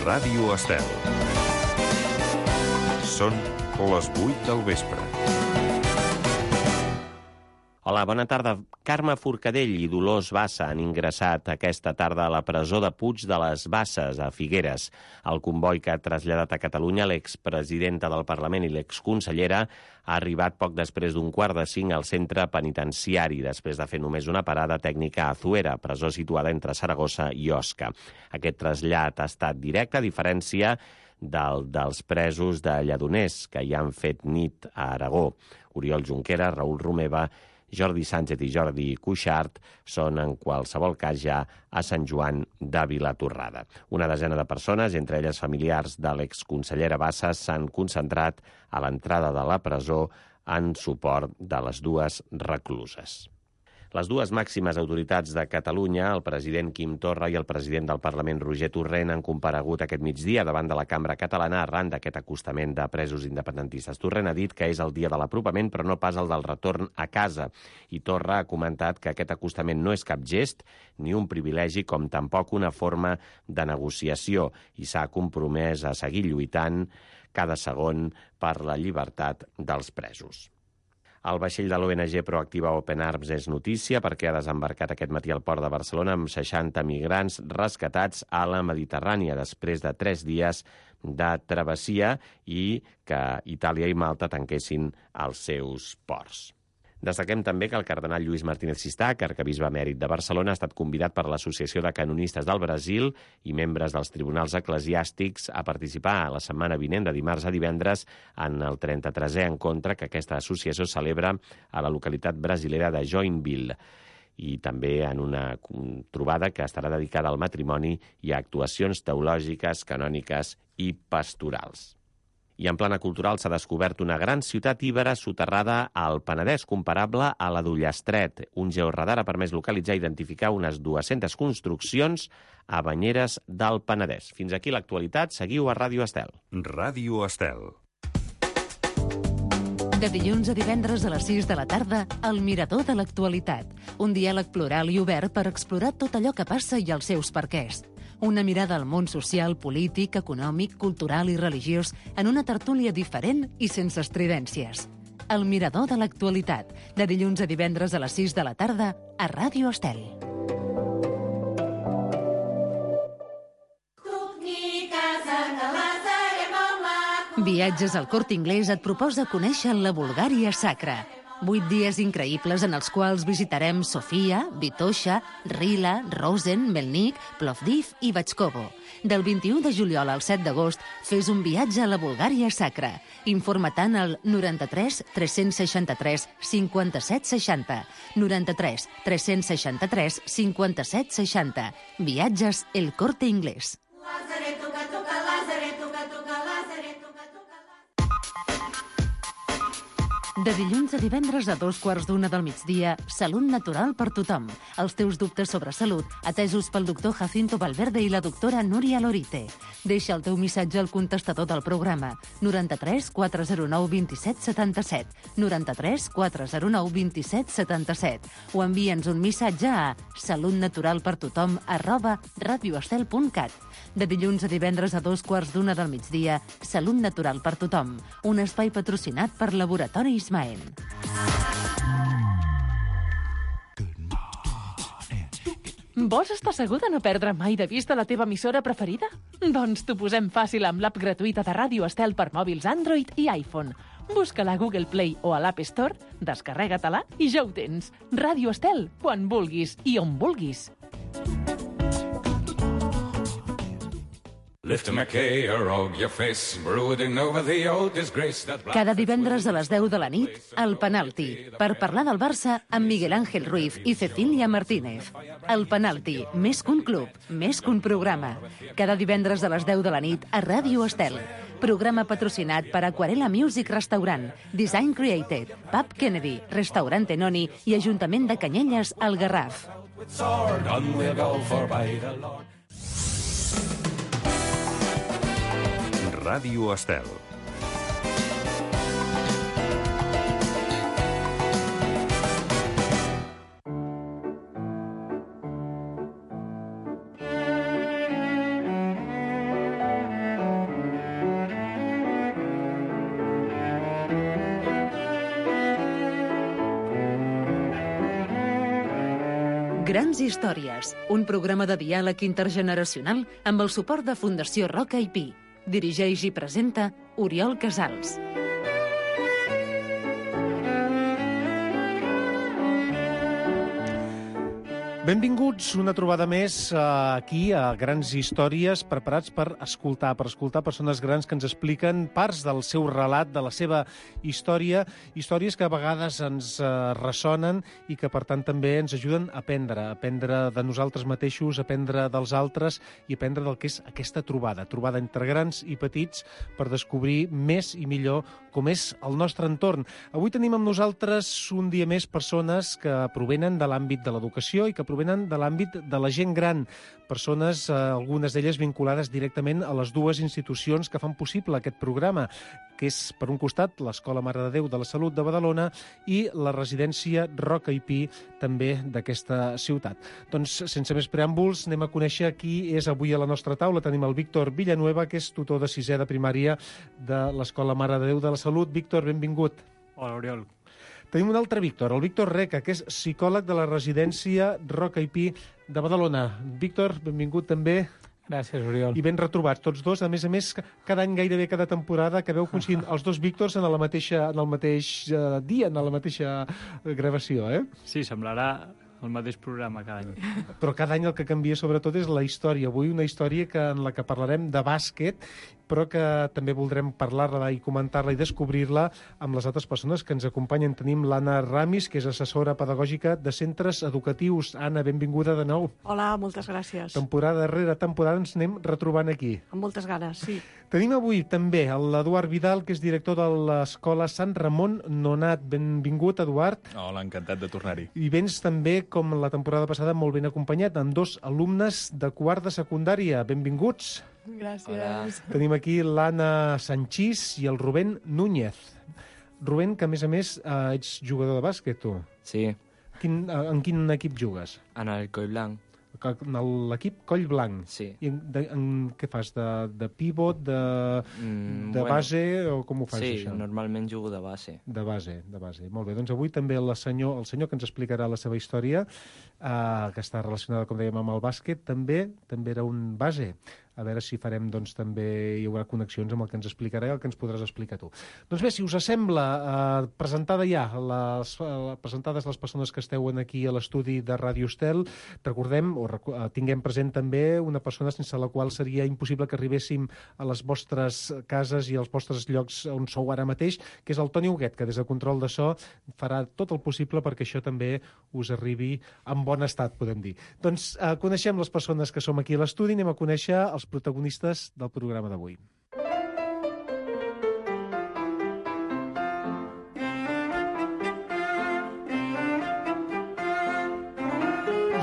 Ràdio Estel. Són les 8 del vespre. Hola, bona tarda. Carme Forcadell i Dolors Bassa han ingressat aquesta tarda a la presó de Puig de les Basses, a Figueres. El comboi que ha traslladat a Catalunya l'expresidenta del Parlament i l'exconsellera ha arribat poc després d'un 4:45 al centre penitenciari, després de fer només una parada tècnica a Azuera, presó situada entre Saragossa i Osca. Aquest trasllat ha estat directe, a diferència dels presos de Lledoners, que ja han fet nit a Aragó. Oriol Junqueras, Raül Romeva, Jordi Sánchez i Jordi Cuixart són en qualsevol cas ja a Sant Joan de Vilatorrada. Una desena de persones, entre elles familiars de l'exconsellera Bassa, s'han concentrat a l'entrada de la presó en suport de les dues recluses. Les dues màximes autoritats de Catalunya, el president Quim Torra i el president del Parlament Roger Torrent, han comparegut aquest migdia davant de la Cambra Catalana arran d'aquest acostament de presos independentistes. Torrent ha dit que és el dia de l'apropament, però no pas el del retorn a casa. I Torra ha comentat que aquest acostament no és cap gest ni un privilegi, com tampoc una forma de negociació, i s'ha compromès a seguir lluitant cada segon per la llibertat dels presos. El vaixell de l'ONG Proactiva Open Arms és notícia perquè ha desembarcat aquest matí al port de Barcelona amb 60 migrants rescatats a la Mediterrània després de 3 dies de travessia i que Itàlia i Malta tanquessin els seus ports. Destaquem també que el cardenal Lluís Martínez Sistach, arquebisbe emèrit de Barcelona, ha estat convidat per l'Associació de Canonistes del Brasil i membres dels tribunals eclesiàstics a participar a la setmana vinent, de dimarts a divendres, en el 33è encontre que aquesta associació celebra a la localitat brasilera de Joinville, i també en una trobada que estarà dedicada al matrimoni i a actuacions teològiques, canòniques i pastorals. I en plana cultural s'ha descobert una gran ciutat íbera soterrada al Penedès, comparable a la d'Ullastret. Un georadar ha permès localitzar i identificar unes 200 construccions a banyeres del Penedès. Fins aquí l'actualitat. Seguiu a Ràdio Estel. Ràdio Estel. De dilluns a divendres a les 6 de la tarda, El Mirador de l'Actualitat. Un diàleg plural i obert per explorar tot allò que passa i els seus perquès. Una mirada al món social, polític, econòmic, cultural i religiós en una tertúlia diferent i sense estridències. El Mirador de l'Actualitat, de dilluns a divendres a les 6 de la tarda, a Ràdio Estel. Viatges al Corte Inglés et proposa conèixer la Bulgària sacra. 8 dies increïbles en els quals visitarem Sofia, Vitoša, Rila, Rosen, Melnik, Plovdiv i Batxkovo. Del 21 de juliol al 7 d'agost, fes un viatge a la Bulgària sacra. Informa-te'n al 93 363 57 60. 93 363 57 60. Viatges El Corte Inglés. De dilluns a divendres a 2:15 del migdia, Salut Natural per tothom. Els teus dubtes sobre salut, atesos pel doctor Jacinto Valverde i la doctora Núria Lorite. Deixa el teu missatge al contestador del programa 93 409 27 77, 93 409 27 77, o envia'ns un missatge a salutnaturalpertothom@radioestel.cat. De dilluns a divendres a 2:15 del migdia, Salut Natural per tothom, un espai patrocinat per Laboratoris Maen. Vols estar segur de no perdre mai de vista la teva emissora preferida? Doncs t'ho posem fàcil amb l'app gratuïta de Ràdio Estel per mòbils Android i iPhone. Busca-la a Google Play o a l'App Store, descarrega-te-la i ja ho tens. Ràdio Estel, quan vulguis i on vulguis. Cada divendres a les 10 de la nit, El Penalti, per parlar del Barça amb Miguel Ángel Ruiz i Cecília Martínez. El Penalti, més que un club, més que un programa. Cada divendres a les 10 de la nit a Ràdio Estel. Programa patrocinat per Aquarela Music Restaurant, Design Created, Pub Kennedy, Restaurant Tenoni i Ajuntament de Canyelles, al Garraf. Ràdio Estel. Grans històries, un programa de diàleg intergeneracional amb el suport de Fundació Roca i Pi. Dirigeix i presenta Oriol Casals. Benvinguts una trobada més aquí a Grans Històries, preparats per escoltar persones grans que ens expliquen parts del seu relat, de la seva història, històries que a vegades ens ressonen i que, per tant, també ens ajuden a aprendre de nosaltres mateixos, aprendre dels altres i aprendre del que és aquesta trobada entre grans i petits per descobrir més i millor com és el nostre entorn. Avui tenim amb nosaltres un dia més persones que provenen de l'àmbit de l'educació i que provenen de l'àmbit de la gent gran. Persones, algunes d'elles vinculades directament a les dues institucions que fan possible aquest programa, que és, per un costat, l'Escola Mare de Déu de la Salut de Badalona i la residència Roca i Pi, també d'aquesta ciutat. Doncs, sense més preàmbuls, anem a conèixer qui és avui a la nostra taula. Tenim el Víctor Villanueva, que és tutor de sisè de primària de l'Escola Mare de Déu de la Salut. Víctor, benvingut. Hola, Oriol. Tenim un altre Víctor, el Víctor Reca, que és psicòleg de la residència Roca i Pi de Badalona. Víctor, benvingut també. Gràcies, Oriol. I ben retrobats tots dos. A més, cada any, gairebé cada temporada, que veu coincidint els dos Víctors en el mateix dia, en la mateixa gravació, eh? Sí, semblarà el mateix programa cada any. Però cada any el que canvia sobretot és la història. Avui una història en la que parlarem de bàsquet, però que també voldrem parlar-la i comentar-la i descobrir-la amb les altres persones que ens acompanyen. Tenim l'Anna Ramis, que és assessora pedagògica de centres educatius. Anna, benvinguda de nou. Hola, moltes gràcies. Temporada darrere temporada ens anem retrobant aquí. Amb moltes ganes, sí. Tenim avui també l'Eduard Vidal, que és director de l'Escola Sant Ramon Nonat. Benvingut, Eduard. Hola, encantat de tornar-hi. I vens també, com la temporada passada, molt ben acompanyat, amb dos alumnes de quart de secundària. Benvinguts. Gràcies. Hola. Tenim aquí l'Anna Sanchís i el Rubén Núñez. Rubén, que a més, ets jugador de bàsquet, tu. Sí, En quin equip jugues? en el Coll Blanc, En l'equip Coll Blanc. sí. I què fas? De pivot, de Bueno, base, o com ho fas, sí, això? normalment jugo de base. De base. Molt bé, doncs avui també el senyor que ens explicarà la seva història, que està relacionada, com dèiem, amb el bàsquet, també era un base. A veure si farem, doncs, també hi haurà connexions amb el que ens explicarà i el que ens podràs explicar tu. Doncs bé, si us sembla, presentades les persones que esteu aquí a l'estudi de Ràdio Estel, recordem, tinguem present també una persona sense la qual seria impossible que arribéssim a les vostres cases i als vostres llocs on sou ara mateix, que és el Toni Huguet, que des de Control de So farà tot el possible perquè això també us arribi en bon estat, podem dir. Doncs coneixem les persones que som aquí a l'estudi, anem a conèixer els protagonistes del programa d'avui.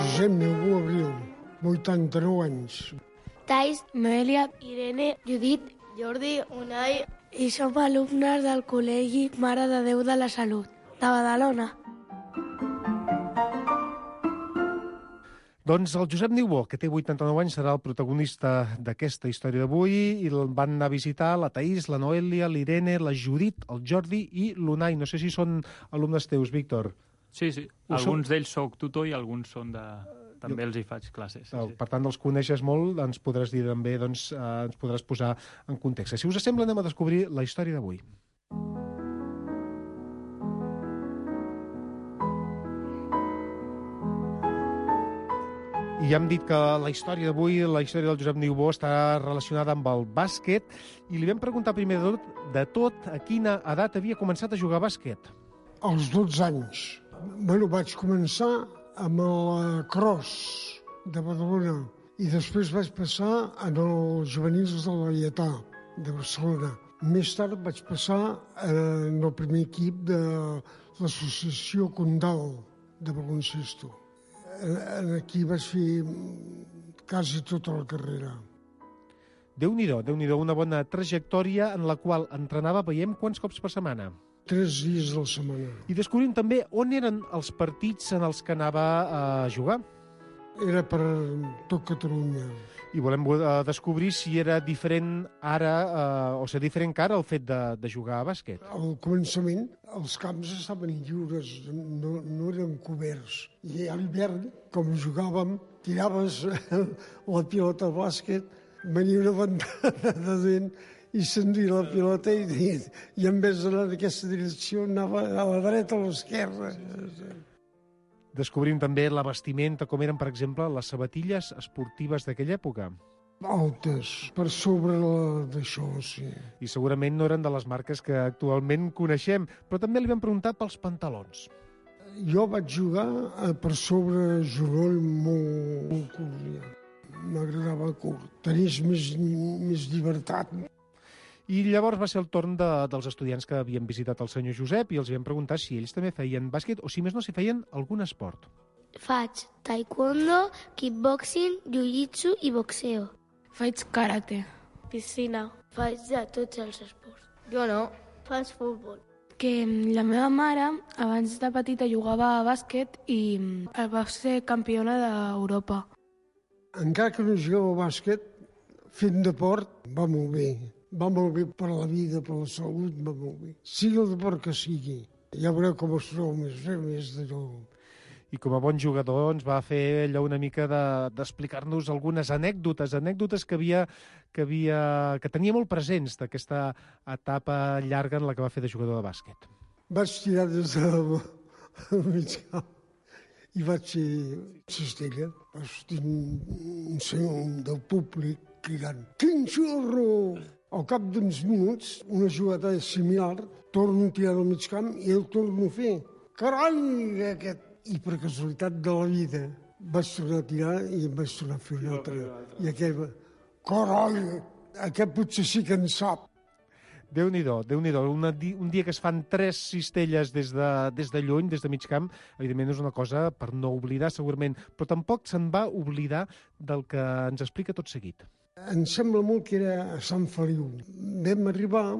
Josep Niubó Abril, 89 anys. Thais, Noelia, Irene, Judit, Jordi, Unai i som alumnes del Col·legi Mare de Déu de la Salut, de Badalona. Doncs el Josep Niubó, que té 89 anys, serà el protagonista d'aquesta història d'avui, i el van anar a visitar la Thaís, la Noelia, l'Irene, la Judit, el Jordi i l'Unai. No sé si són alumnes teus, Víctor. Sí. Alguns d'ells soc tutor i alguns són de... També els hi faig classes. Sí. Per tant, els coneixes molt, ens podràs dir també, doncs, ens podràs posar en context. Si us sembla, anem a descobrir la història d'avui. I ja hem dit que la història d'avui, la història del Josep Niubó, està relacionada amb el bàsquet, i li vam preguntar primer de tot a quina edat havia començat a jugar a bàsquet. Als 12 anys. Vaig començar amb el Cross de Badalona i després vaig passar en els juvenils de la Lleietà de Barcelona. Més tard vaig passar en el primer equip de l'associació Condal de baloncesto. Aquí vaig fer quasi tota la carrera. Déu-n'hi-do, una bona trajectòria en la qual entrenava, veiem, quants cops per setmana? 3 dies a la setmana. I descobrim també on eren els partits en els que anava a jugar. era per tot Catalunya. I volem descobrir si era diferent ara, o sigui, diferent que ara el fet de jugar a bàsquet. Al començament els camps estaven lliures, no eren coberts. I a l'hivern, com jugàvem, tiraves la pilota de bàsquet, venia una ventada de dent i s'enduia la pilota i en vez d'anar en aquesta direcció anava a la dreta o a l'esquerra. Descobrim també la vestimenta, com eren, per exemple, les sabatilles esportives d'aquella època. Altes, per sobre d'això, sí. I segurament no eren de les marques que actualment coneixem, però també li vam preguntar pels pantalons. Jo vaig jugar per sobre genoll molt curt. Ja. M'agradava curt. Tenies més llibertat. I llavors va ser el torn dels estudiants que havien visitat el senyor Josep i els vam preguntar si ells també feien bàsquet o, si més no, si feien algun esport. Faig taekwondo, kickboxing, jiu-jitsu i boxeo. Faig karate. Piscina. Faig de tots els esports. Jo no. Faig futbol. Que la meva mare, abans de petita, jugava a bàsquet i va ser campiona d'Europa. Encara que no jugueu a bàsquet, fent deport va molt bé. Va molt bé per la vida, per la salut, va molt bé. Sigui el deport que sigui. Ja veureu com es trobo més d'allò. I com a bon jugador ens va fer allò una mica d'explicar-nos algunes anècdotes que tenia molt presents d'aquesta etapa llarga en la que va fer de jugador de bàsquet. Vaig tirar des del mig camp i vaig ser cistella. Vaig tenir un senyor del públic cridant «Quin xurro!». Al cap d'uns minuts, una jugada similar, torno a tirar al mig camp i el torno a fer. Carai, aquest! I per casualitat de la vida vaig tornar a tirar i em vaig tornar a fer un altre. I aquell va, carai, aquest potser sí que en sap. Déu-n'hi-do, Déu-n'hi-do. Un dia que es fan 3 cistelles des de lluny, des de mig camp, evidentment és una cosa per no oblidar, segurament, però tampoc se'n va oblidar del que ens explica tot seguit. Em sembla molt que era a Sant Feliu. Vam arribar,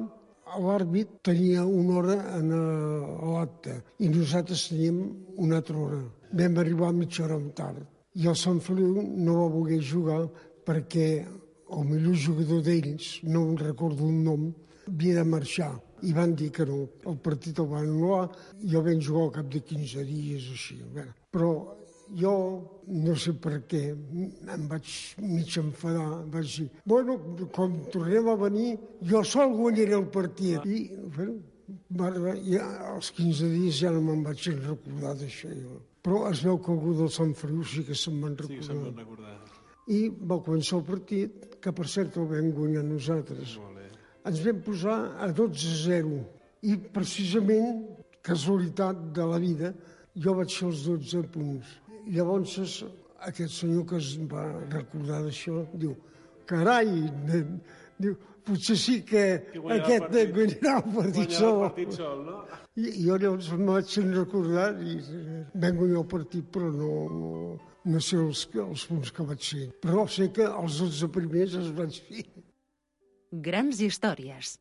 l'àrbit tenia una hora a l'acte i nosaltres teníem una altra hora. Vam arribar mitja hora tard. I el Sant Feliu no va voler jugar perquè el millor jugador d'ells, no em recordo el nom, havia de marxar. I van dir que no. El partit el van anul·lar. Jo vam jugar al cap de 15 dies, així. Però jo, no sé per què, em vaig mig enfadar. Vaig dir, bueno, quan tornem a venir, jo sol guanyaré el partit. I, bueno, als 15 dies ja no me'n vaig recordar d'això. Però es veu que algú del Sant Feliu sí que se'n van recordar. Sí, se'n van recordar. I va començar el partit, que per cert el vam guanyar nosaltres. Ens vam posar a 12-0. I precisament, casualitat de la vida, jo vaig fer els 12 punts. Llavors, aquest senyor que es va recordar d'això, diu, carai, diu, potser sí que aquest guanyarà el partit sol. No? I jo llavors em vaig recordar i vam guanyar el partit, però no sé els punts que vaig fer. Però sé que els 12 primers els vaig fer. Grans històries.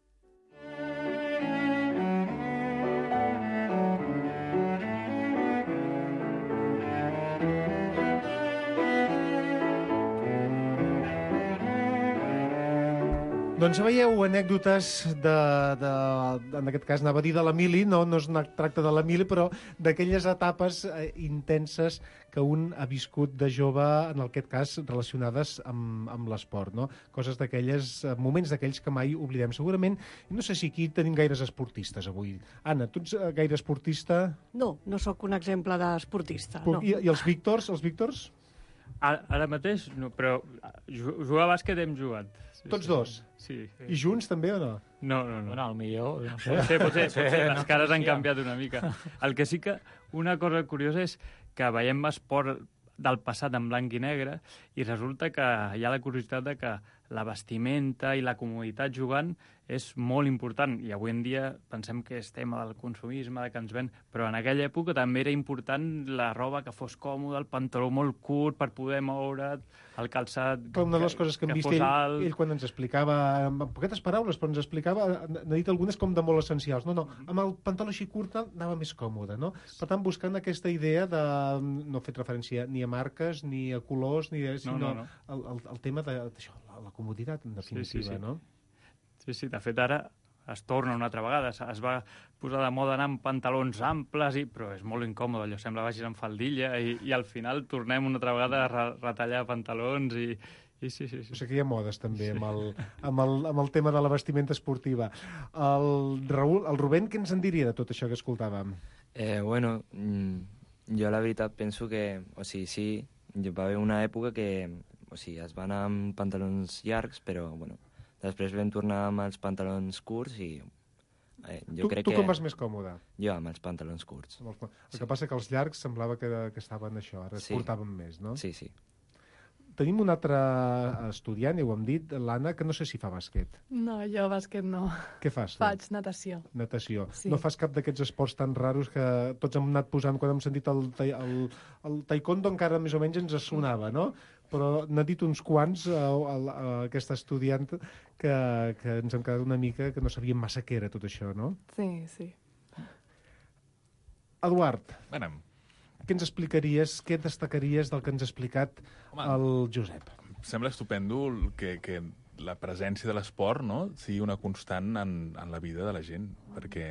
Doncs veieu anècdotes en aquest cas anava a dir de l'Emili, no es tracta de l'Emili, però d'aquelles etapes intenses que un ha viscut de jove, en aquest cas relacionades amb l'esport, no? Coses d'aquelles, moments d'aquells que mai oblidem. Segurament, no sé si aquí tenim gaires esportistes avui. Anna, tu ets gaire esportista? No sóc un exemple d'esportista, no. I els Víctors? Ara mateix, no, però jugar a bàsquet hem jugat. Tots dos? Sí. I junts també o no? No. Bueno, al millor... No sé. Potser les cares han canviat una mica. El que sí que una cosa curiosa és que veiem esport del passat en blanc i negre i resulta que hi ha la curiositat de que la vestimenta i la comoditat jugant és molt important. I avui en dia pensem que és tema del consumisme, que ens ven, però en aquella època també era important la roba que fos còmoda, el pantaló molt curt per poder moure't, el calçat Però una de les coses que hem vist ell quan ens explicava, amb poquetes paraules, però ens explicava, n'ha dit algunes com de molt essencials. No, amb el pantaló així curt anava més còmode, no? Per tant, buscant aquesta idea de no fer referència ni a marques, ni a colors, sinó el tema d'això, la comoditat, en definitiva, no? Sí, de fet ara es torna una altra vegada, es va posar de moda anar amb pantalons amples, però és molt incòmode, allò sembla vagis amb faldilla i al final tornem una altra vegada a retallar pantalons i sí. O sigui que hi ha modes també amb el tema de la vestimenta esportiva. El Rubén, què ens en diria de tot això que escoltàvem? Bueno, jo la veritat penso que, sí, va haver una època que es va anar amb pantalons llargs, però, després vam tornar amb els pantalons curts i jo crec que... Tu com vas més còmode? Jo amb els pantalons curts. El que passa que els llargs semblava que estaven això, ara es portaven més, no? Sí. Tenim un altre estudiant, ja ho hem dit, l'Anna, que no sé si fa bàsquet. No, jo bàsquet no. Què fas? Faig natació. Natació. Sí. No fas cap d'aquests esports tan raros que tots hem anat posant quan hem sentit el taekwondo, encara més o menys ens sonava, no? Però n'ha dit uns quants aquesta estudiant que ens hem quedat una mica que no sabíem massa què era tot això, no? Sí. Eduard, què ens explicaries, què destacaries del que ens ha explicat el Josep? Sembla estupendo que la presència de l'esport, no?, sigui una constant en la vida de la gent, perquè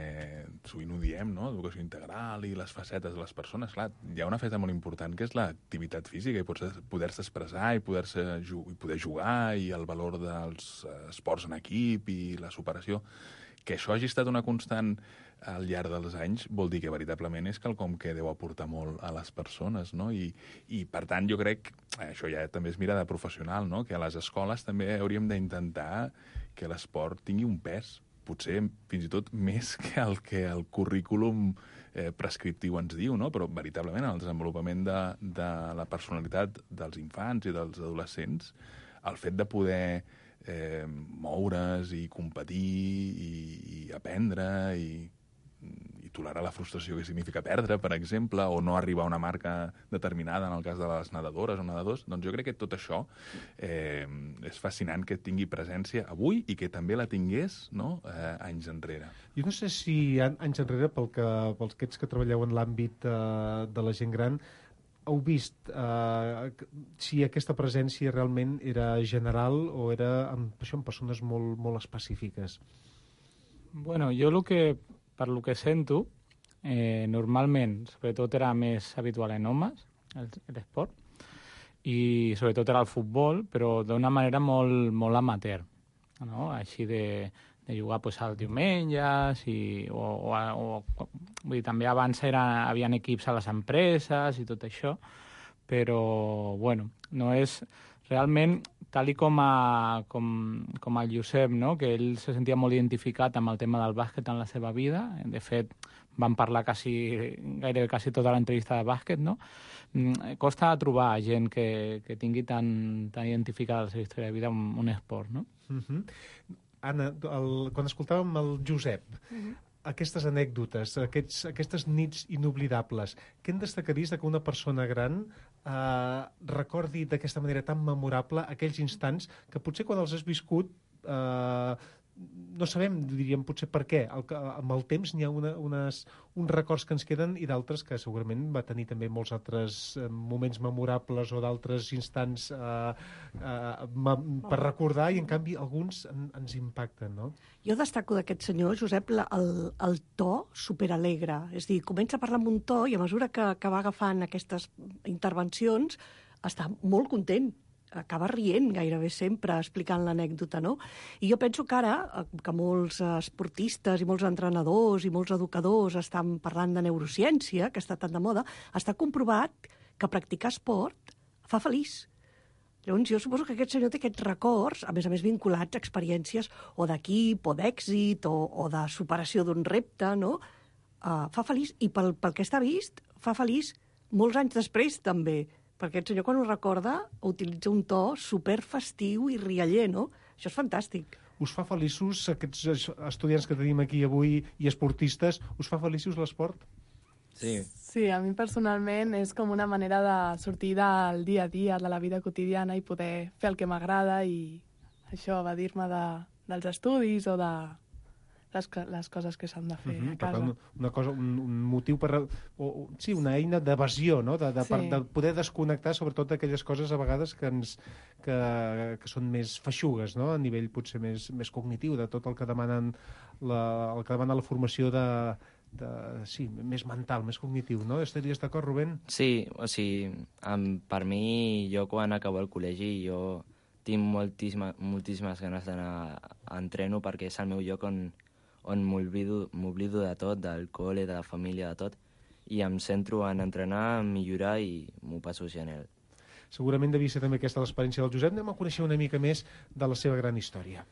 sovint ho diem, no?, educació integral i les facetes de les persones. Clar, hi ha una faceta molt important que és l'activitat física i poder-se expressar i poder jugar i el valor dels esports en equip i la superació. Que això hagi estat una constant al llarg dels anys vol dir que veritablement és quelcom que deu aportar molt a les persones, no? I per tant, jo crec, això ja també és mirada professional, no?, que a les escoles també hauríem d'intentar que l'esport tingui un pes, potser fins i tot més que el currículum prescriptiu ens diu, no?, però veritablement el desenvolupament de la personalitat dels infants i dels adolescents, el fet de poder moure's i competir i aprendre i tolerar la frustració que significa perdre, per exemple, o no arribar a una marca determinada en el cas de les nedadores o nedadors, doncs jo crec que tot això és fascinant que tingui presència avui i que també la tingués, no?, anys enrere. Jo no sé si anys enrere, pels que treballeu en l'àmbit de la gent gran, heu vist si aquesta presència realment era general o era en persones molt, molt específiques? Bueno, jo per lo que sento, normalment, sobretot era més habitual en homes, l'esport, i sobretot era el futbol, però d'una manera molt, molt amateur, no? Així de jugar pues, als diumenges, vull dir, també abans havien equips a les empreses i tot això, però, bueno, no és realment, tal com el Josep, no?, que ell se sentia molt identificat amb el tema del bàsquet en la seva vida. De fet, van parlar gairebé quasi tota l'entrevista de bàsquet, no? Costa trobar gent que tingui tan identificada la seva història de vida amb un esport, no? Anna, quan escoltàvem el Josep, aquestes anècdotes, aquestes nits inoblidables, què en destacaries que una persona gran recordi d'aquesta manera tan memorable aquells instants que potser quan els has viscut no sabem, diríem, potser per què. Amb el temps n'hi ha uns records que ens queden i d'altres que segurament va tenir també molts altres moments memorables o d'altres instants per recordar i, en canvi, alguns ens impacten, no? Jo destaco d'aquest senyor, Josep, el to superalegre. És a dir, comença a parlar amb un to i a mesura que va agafant aquestes intervencions està molt content. Acaba rient gairebé sempre explicant l'anècdota, no? I jo penso que ara, que molts esportistes i molts entrenadors i molts educadors estan parlant de neurociència, que està tan de moda, està comprovat que practicar esport fa feliç. Llavors, jo suposo que aquest senyor té aquests records, a més vinculats a experiències o d'equip o d'èxit o de superació d'un repte, no? Fa feliç, i pel que està vist, fa feliç molts anys després, també, perquè aquest senyor, quan ho recorda, utilitza un to superfestiu i rialler, no? Això és fantàstic. Us fa feliços, aquests estudiants que tenim aquí avui i esportistes, us fa feliços l'esport? Sí. Sí, a mi personalment és com una manera de sortir del dia a dia, de la vida quotidiana i poder fer el que m'agrada i això, evadir-me dels estudis o de les coses que s'han de fer a casa. Per tant, una cosa, un motiu per... sí, una eina d'evasió, no? De poder desconnectar sobretot d'aquelles coses a vegades que són més feixugues, no? A nivell potser més cognitiu, de tot el que demanen el que demana la formació sí, més mental, més cognitiu, no? Estaries d'acord, Rubén? Sí, o sigui, per mi, jo quan acabo el col·legi, jo tinc moltíssimes ganes d'anar a entreno perquè és el meu lloc on m'oblido de tot, del col·le, de la família, de tot, i em centro en entrenar, millorar i m'ho passo genial. Segurament devia ser també aquesta l'experiència del Josep. Anem a conèixer una mica més de la seva gran història.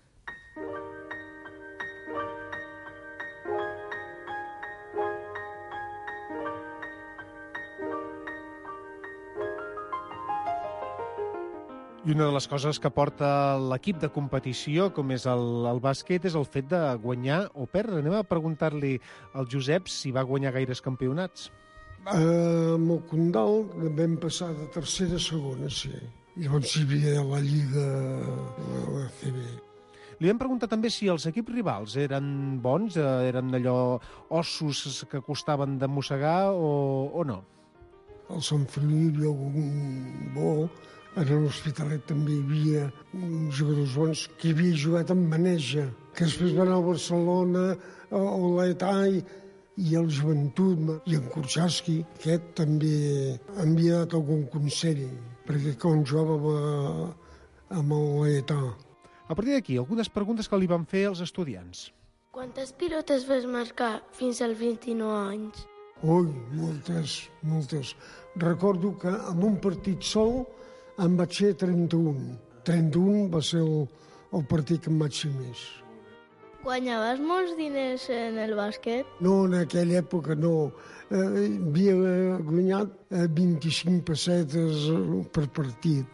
I una de les coses que porta l'equip de competició, com és el bàsquet, és el fet de guanyar o perdre. Anem a preguntar-li al Josep si va guanyar gaires campionats. Amb el Condal vam passar de tercera a segona, sí. Llavors hi havia la Lliga, la CB. Li vam preguntar també si els equips rivals eren bons, eren allò ossos que costaven de mossegar o no? Al Sant Feliu hi havia algun bo. A l'Hospitalet també hi havia jugadors bons que havia jugat amb Maneja, que després van al Barcelona, o l'Età i el Joventut, i en Kurczewski. Aquest també havia dat algun consell, perquè quan jugava amb l'Età. A partir d'aquí, algunes preguntes que li van fer els estudiants. Quantes pilotes vas marcar fins als 29 anys? Ui, moltes. Recordo que en un partit sol em vaig fer 31. 31 va ser el partit que em vaig fer més. Guanyaves molts diners en el bàsquet? No, en aquella època no. Havia guanyat 25 pessetes per partit.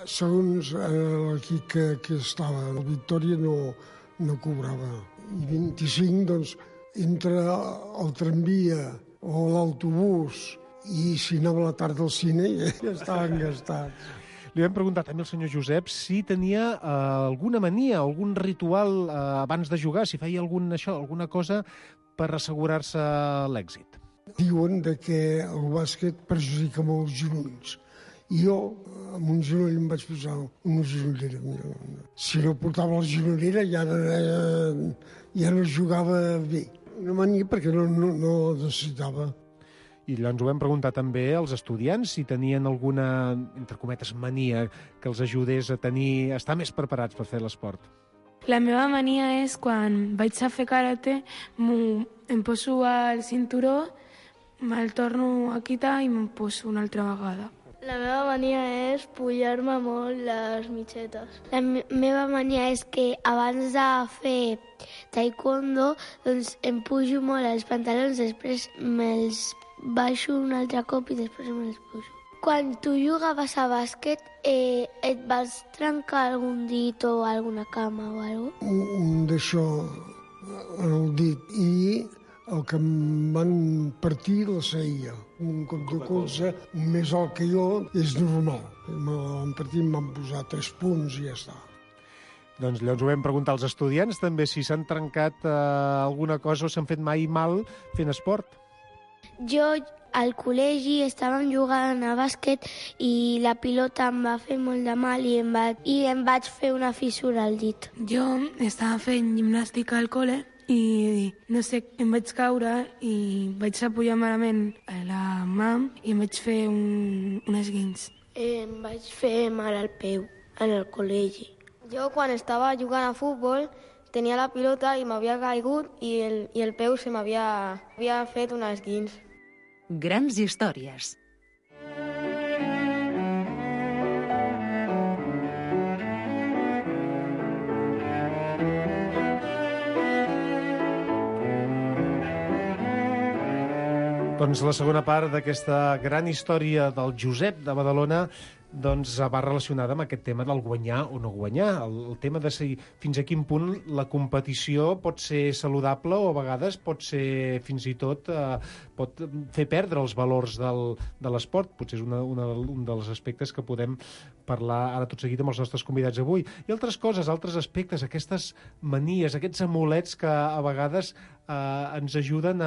Segons l'equip que estava, la Victòria no cobrava. I 25, doncs, entre el tramvia o l'autobús i si anava a la tarda al cine ja estaven gastats. Li vam preguntar també al senyor Josep si tenia alguna mania, algun ritual abans de jugar, si feia alguna cosa per assegurar-se l'èxit. Diuen que el bàsquet perjudica molt els genolls. I jo, amb un genoll, em vaig posar una genollera. Si no portava la genollera ja no jugava bé. Una mania perquè no necessitava. I llavors ho vam preguntar també als estudiants si tenien alguna, entre cometes, mania que els ajudés a estar més preparats per fer l'esport. La meva mania és quan vaig a fer karate, em poso el cinturó, me'l torno a quitar i me'n poso una altra vegada. La meva mania és pujar-me molt les mitgetes. La meva mania és que abans de fer taekwondo doncs em pujo molt els pantalons, després me'ls baixo un altre cop i després me'ls pujo. Quan tu jugaves a bàsquet, et vas trencar algun dit o alguna cama o alguna cosa? Un d'això en el dit i el que em van partir la ceia. Un cop de colze més alt que jo és normal. Me l'han partit, em van posar 3 punts i ja està. Doncs llavors ho vam preguntar als estudiants també si s'han trencat alguna cosa o s'han fet mai mal fent esport. Jo al col·legi estàvem jugant a bàsquet i la pilota em va fer molt de mal i em vaig fer una fissura al dit. Jo estava fent gimnàstica al col·le i, no sé, em vaig caure i vaig apoyar malament a la mà i em vaig fer un esguins. Em vaig fer mal al peu en el col·legi. Jo, quan estava jugant a futbol, tenia la pilota i m'havia caigut i el peu se m'havia fet un esguins. Grans històries. Doncs la segona part d'aquesta gran història del Josep de Badalona doncs va relacionada amb aquest tema del guanyar o no guanyar, el tema de si fins a quin punt la competició pot ser saludable o a vegades pot ser fins i tot pot fer perdre els valors de l'esport. Potser és un dels aspectes que podem parlar ara tot seguit amb els nostres convidats avui. I altres coses, altres aspectes, aquestes manies, aquests amulets que a vegades ens ajuden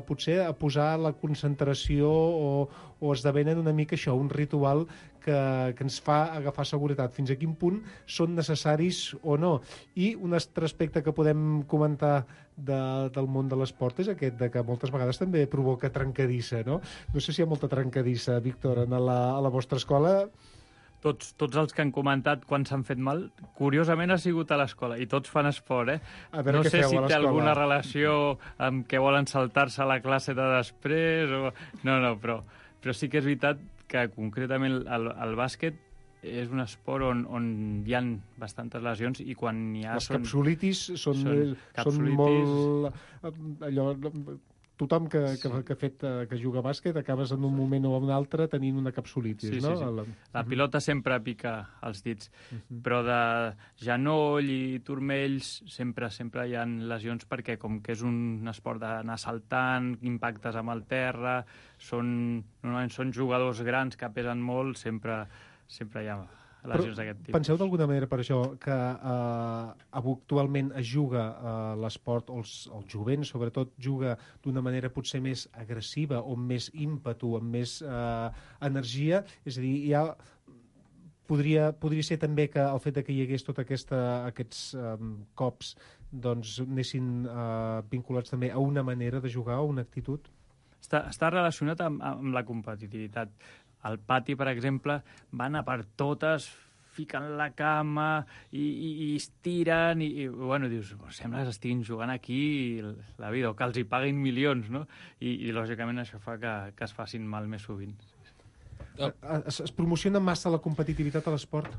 potser a posar la concentració o esdevenen una mica això, un ritual que ens fa agafar seguretat. Fins a quin punt són necessaris o no. I un altre aspecte que podem comentar del món de l'esport és aquest, de que moltes vegades també provoca trencadissa, no? No sé si hi ha molta trencadissa, Víctor, a la vostra escola. Tots els que han comentat quan s'han fet mal, curiosament ha sigut a l'escola, i tots fan esport, eh? No sé si té alguna relació amb que volen saltar-se a la classe de després o... No, però sí que és veritat que concretament el bàsquet és un esport on hi ha bastantes lesions i quan hi ha... Les capsulitis són molt... Allò... Tothom que juga a bàsquet acabes en un moment o en un altre tenint una capsulitis, sí, no? Sí. La pilota sempre pica els dits, però de genoll i turmells sempre hi ha lesions perquè com que és un esport d'anar saltant, impactes amb el terra, normalment són jugadors grans que pesen molt, sempre hi ha lesions d'aquest tipus. Penseu d'alguna manera per això que actualment es juga l'esport, o el jovent sobretot juga d'una manera potser més agressiva o amb més ímpetu, amb més energia, és a dir, podria ser també que el fet que hi hagués tots aquests cops doncs anessin vinculats també a una manera de jugar, a una actitud? Està relacionat amb la competitivitat. Al pati, per exemple, van a per totes, fiquen la cama i es tiren i bueno, dius, sembla que estiguin jugant aquí la vida, o que els hi paguin milions, no? I lògicament això fa que es facin mal més sovint. Es promociona massa la competitivitat a l'esport?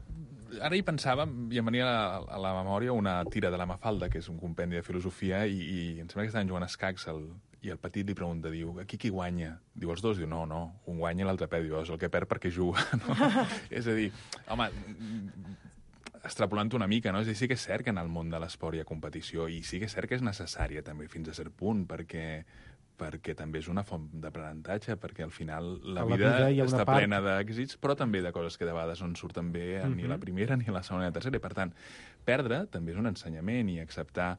Ara hi pensava, i em venia a la memòria una tira de la Mafalda, que és un compendi de filosofia, i em sembla que estaven jugant a escacs, i el petit li pregunta, diu, aquí qui guanya? Diu, els dos? Diu, no, un guanya i l'altre perd. Diu, és el que perd perquè juga, no? És a dir, home, extrapolant una mica, no? És a dir, sí que és cert que en el món de l'esport hi ha competició, i sí que és cert que és necessària també fins a cert punt, perquè també és una font d'aprenentatge, perquè al final la vida està plena d'èxits, però també de coses que de vegades no en surten bé ni a la primera, ni a la segona ni a la tercera, i per tant, perdre també és un ensenyament i acceptar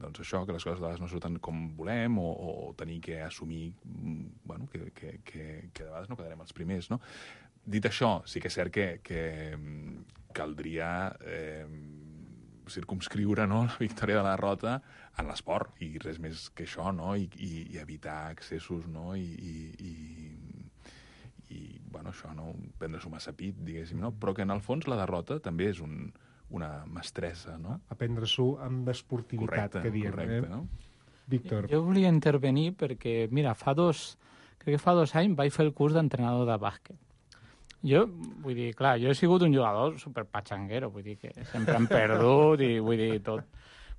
doncs això, que les coses de vegades no surten com volem o tenir que assumir bueno, que de vegades no quedarem els primers, no? Dit això, sí que és cert que caldria circumscriure, no, la victòria de la derrota en l'esport, i res més que això, no? I evitar excessos, no? I bueno, això, no? Prendre-s'ho massa pit, diguéssim, no? Però que en el fons la derrota també és una mestressa, no? Aprendre-s'ho amb esportivitat, que diem. Correcte, no? Víctor. Jo volia intervenir perquè, mira, crec que fa 2 anys vaig fer el curs d'entrenador de bàsquet. Jo, vull dir, clar, jo he sigut un jugador superpatxanguero, vull dir que sempre hem perdut i vull dir tot.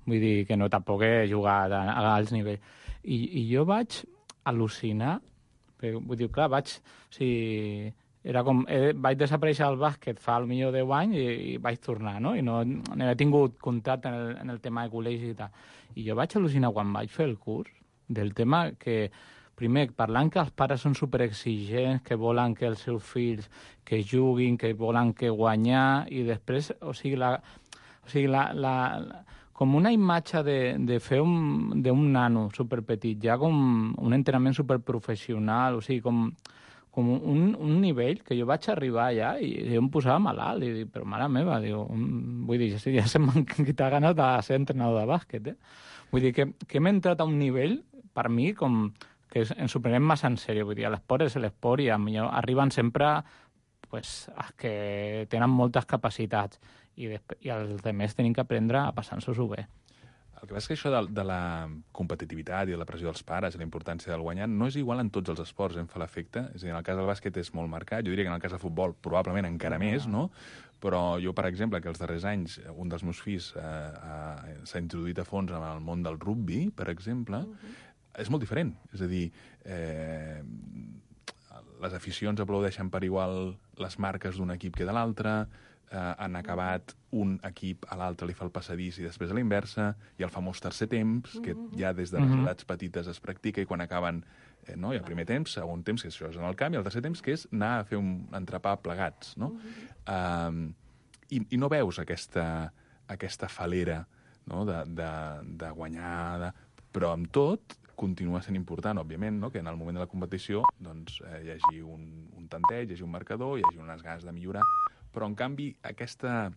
Vull dir que no, tampoc he jugat a alts nivells. I jo vaig al·lucinar, perquè, vull dir, clar, vaig desaparèixer al bàsquet fa potser 10 anys i vaig tornar, no? I no he tingut contacte en el tema de col·legi i tal. I jo vaig al·lucinar quan vaig fer el curs del tema que primer, parlant que els pares són superexigents, que volen que els seus fills que juguin, que volen que guanyar, i després, com una imatge de fer d'un nano superpetit, ja com un entrenament superprofessional, o sigui, com un nivell que jo vaig arribar allà i jo em posava malalt, i dic, però mare meva, vull dir, ja se m'han quitat ganes de ser entrenador de bàsquet, Vull dir que hem entrat a un nivell, per mi, com que ens ho prenem massa en sèrio, vull dir, l'esport és l'esport i arriben sempre els que tenen moltes capacitats i els altres tenim que aprendre a passar-nos-ho bé. El que passa és que això de la competitivitat i de la pressió dels pares i la importància del guanyar no és igual en tots els esports, em fa l'efecte. És a dir, en el cas del bàsquet és molt marcat, jo diria que en el cas del futbol probablement encara més, no? Però jo, per exemple, que els darrers anys un dels meus fills s'ha introduït a fons en el món del rugby, per exemple, és molt diferent. És a dir, les aficions aplaudeixen per igual les marques d'un equip que de l'altre, han acabat un equip a l'altre li fa el passadís i després a la inversa, i el famós tercer temps, que ja des de les edats petites es practica, i quan acaben no, hi ha el primer temps, segon temps, que això és en el camp, i el tercer temps, que és anar a fer un entrepà plegats, no? I no veus aquesta falera, no? de guanyar, però amb tot continua sent important, òbviament, no? Que en el moment de la competició doncs, hi hagi un tanteig, hi hagi un marcador, hi hagi unes ganes de millorar, però en canvi aquesta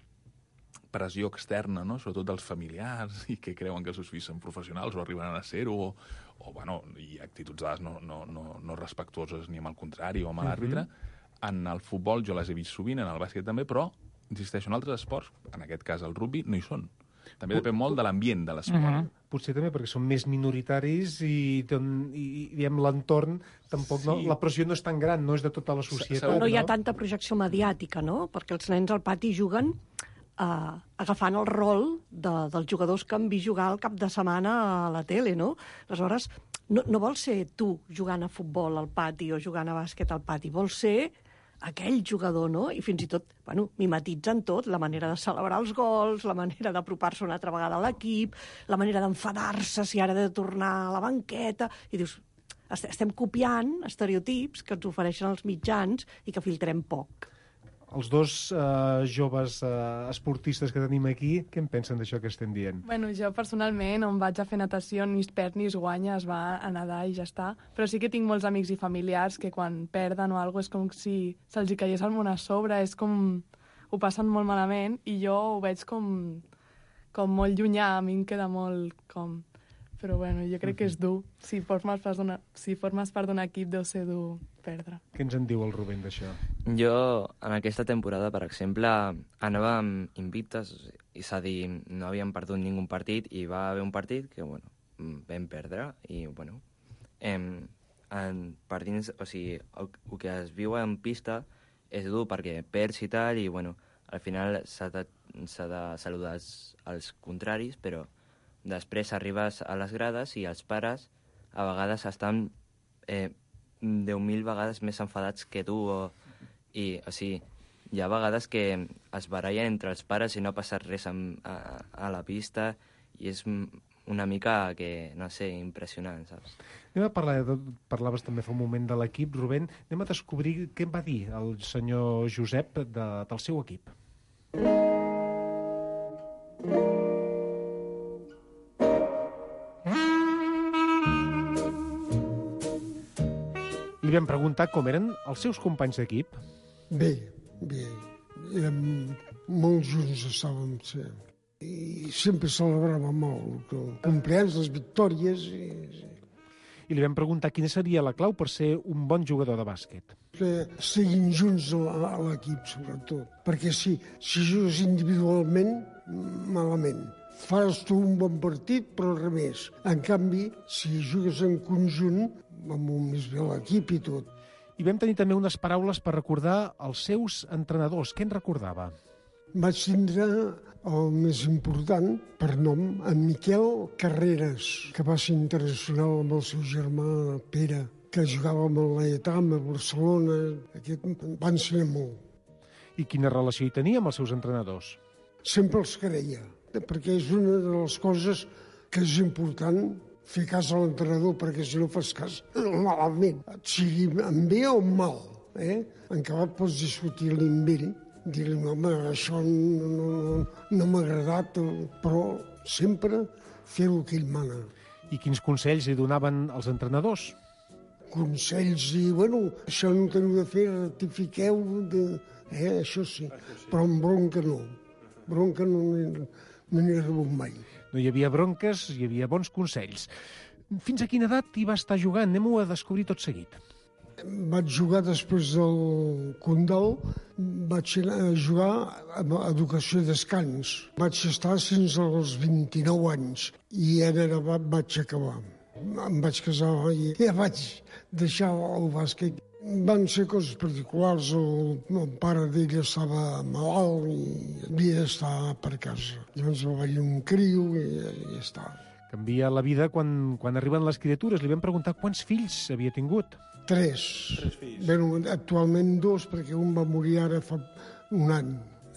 pressió externa, no? Sobretot dels familiars, i que creuen que els seus fills són professionals o arribaran a ser-ho, o bueno, i actituds dades no respectuoses ni amb el contrari o amb l'àrbitre. En el futbol jo les he vist sovint, en el bàsquet també, però, insisteixo, en altres esports, en aquest cas el rugby, no hi són. També depèn molt de l'ambient de l'esport. Potser també perquè són més minoritaris i diguem, l'entorn tampoc la pressió no és tan gran, no és de tota la societat. No hi ha tanta projecció mediàtica, no? Perquè els nens al pati juguen agafant el rol dels jugadors que han vist jugar el cap de setmana a la tele, no? Aleshores, no vols ser tu jugant a futbol al pati o jugant a bàsquet al pati, vols ser aquell jugador, no? I fins i tot, bueno, mimetitzen tot, la manera de celebrar els gols, la manera d'apropar-se una altra vegada a l'equip, la manera d'enfadar-se si ara ha de tornar a la banqueta, i dius, estem copiant estereotips que ens ofereixen els mitjans i que filtrem poc. Els dos joves esportistes que tenim aquí, què en pensen d'això que estem dient? Bueno, jo personalment, on vaig a fer natació, ni es perd ni es guanya, es va a nedar i ja està. Però sí que tinc molts amics i familiars que quan perden o alguna cosa és com si se'ls hi caigués el món a sobre, és com... ho passen molt malament i jo ho veig com molt llunyà, a mi em queda molt com... Però bueno, jo crec que és dur. Si formes part d'un equip, deu ser dur perdre. Què ens en diu el Rubén d'això? Jo, en aquesta temporada, per exemple, anàvem invictes, és a dir, no havíem perdut ningú partit, i va haver un partit que, bueno, vam perdre, i, bueno, partint, o sigui, el que es viu en pista és dur perquè perds i tal, i, bueno, al final s'ha de saludar els contraris, però després arribes a les grades i els pares a vegades estan 10.000 vegades més enfadats que tu. O sigui, hi ha vegades que es barallen entre els pares i no ha passat res a la pista i és una mica, que no sé, impressionant, saps? Anem a parlaves també fa un moment de l'equip, Rubén. Anem a descobrir què em va dir el senyor Josep del seu equip. Li vam preguntar com eren els seus companys d'equip. Bé. Érem molt junts, estàvem sempre. I sempre celebràvem molt. Compleans, les victòries. I li vam preguntar quina seria la clau per ser un bon jugador de bàsquet. Que estiguin junts a l'equip, sobretot. Perquè si jugues individualment, malament. Fas tu un bon partit, però res més. En canvi, si jugues en conjunt, va molt més bé l'equip i tot. I vam tenir també unes paraules per recordar els seus entrenadors. Què en recordava? Vaig tindre el més important, per nom, en Miquel Carreras, que va ser internacional amb el seu germà Pere, que jugava amb el Laietà, a Barcelona. Aquest va ensenyar molt. I quina relació hi tenia amb els seus entrenadors? Sempre els creia, perquè és una de les coses que és important, fer cas a l'entrenador, perquè si no fas cas malament, sigui en bé o en mal. En acabat pots discutir-li amb ell, dir-li, home, això no m'ha agradat, però sempre fer el que ell mana. I quins consells li donaven els entrenadors? Consells i, bueno, això no teniu de fer, rectifiqueu, això sí, però amb bronca no. Bronca no n'hi ha rebut mai. No hi havia bronques, hi havia bons consells. Fins a quina edat hi va estar jugant? Anem-ho a descobrir tot seguit. Vaig jugar després del Condal, vaig anar a jugar a Educació i Descans. Vaig estar fins als 29 anys i ara vaig acabar. Em vaig casar i ja vaig deixar el bàsquet. Van ser coses particulars, el pare d'ell estava malalt i havia d'estar per casa. Llavors va venir un criu i ja està. Canvia la vida quan arriben les criatures. Li vam preguntar quants fills havia tingut. 3. 3 fills. Bé, actualment 2, perquè un va morir ara fa un any.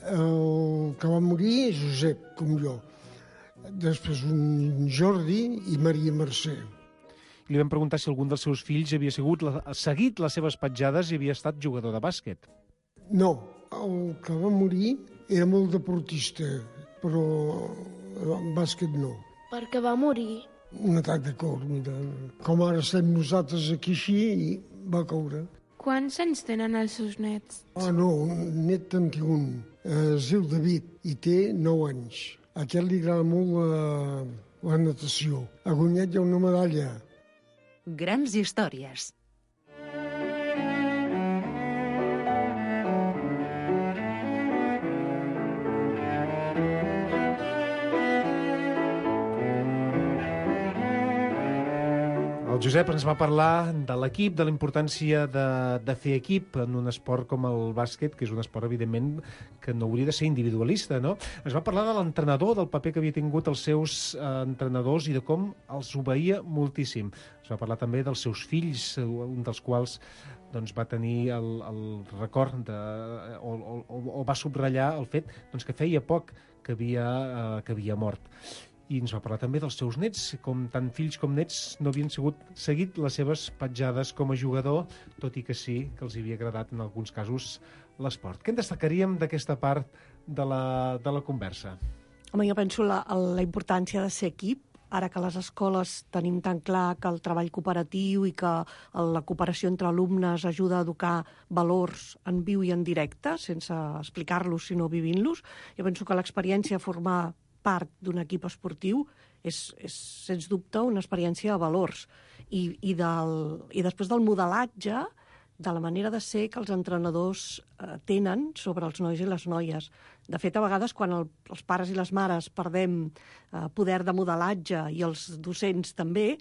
El que va morir és Josep, com jo. Després un Jordi i Maria Mercè. Li vam preguntar si algun dels seus fills havia seguit les seves petjades i havia estat jugador de bàsquet. No, el que va morir era molt deportista, però en bàsquet no. Per què va morir? Un atac de cor, mira. Com ara estem nosaltres aquí així, i va caure. Quants anys tenen els seus nets? No, un net en té un. Es diu David i té 9 anys. A aquest li agrada molt la natació. Ha guanyat ja una medalla. Grans històries. El Josep ens va parlar de l'equip, de la importància de fer equip en un esport com el bàsquet, que és un esport, evidentment, que no hauria de ser individualista, no? Ens va parlar de l'entrenador, del paper que havia tingut els seus entrenadors i de com els obeïa moltíssim. Ens va parlar també dels seus fills, un dels quals doncs, va tenir el record o va subratllar el fet que feia poc que havia mort. I ens va parlar també dels seus nets, com tant fills com nets no havien seguit les seves petjades com a jugador, tot i que sí que els havia agradat en alguns casos l'esport. Què en destacaríem d'aquesta part de la conversa? Home, jo penso la importància de ser equip, ara que a les escoles tenim tan clar que el treball cooperatiu i que la cooperació entre alumnes ajuda a educar valors en viu i en directe, sense explicar-los sinó vivint-los. Jo penso que l'experiència de formar part d'un equip esportiu és sens dubte una experiència de valors i després del modelatge de la manera de ser que els entrenadors tenen sobre els nois i les noies. De fet, a vegades, quan els pares i les mares perdem poder de modelatge i els docents també,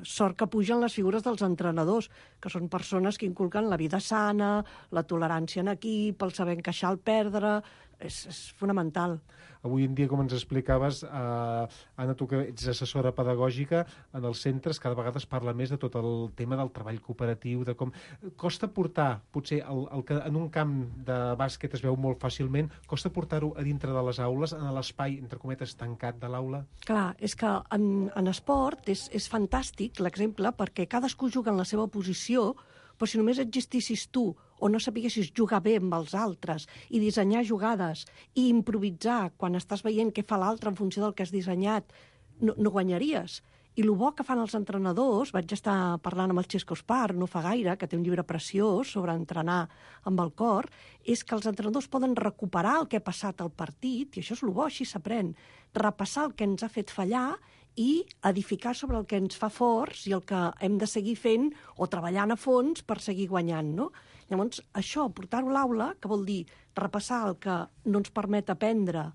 sort que pugen les figures dels entrenadors, que són persones que inculquen la vida sana, la tolerància en equip, el saber encaixar al perdre. És fonamental. Avui en dia, com ens explicaves, Anna, tu que ets assessora pedagògica en els centres, cada vegada es parla més de tot el tema del treball cooperatiu, de com costa portar, potser el que en un camp de bàsquet es veu molt fàcilment, costa portar-ho a dintre de les aules, en l'espai, entre cometes, tancat de l'aula? Clar, és que en esport és fantàstic l'exemple, perquè cadascú juga en la seva posició, però si només existissis tu o no sapiguessis jugar bé amb els altres i dissenyar jugades i improvisar quan estàs veient què fa l'altre en funció del que has dissenyat, no guanyaries. I el bo que fan els entrenadors, vaig estar parlant amb el Xesco Espar no fa gaire, que té un llibre preciós sobre entrenar amb el cor, és que els entrenadors poden recuperar el que ha passat al partit, i això és el bo, així s'aprèn, repassar el que ens ha fet fallar i edificar sobre el que ens fa forts i el que hem de seguir fent o treballant a fons per seguir guanyant, no? Llavors, això, portar-ho a l'aula, que vol dir repassar el que no ens permet aprendre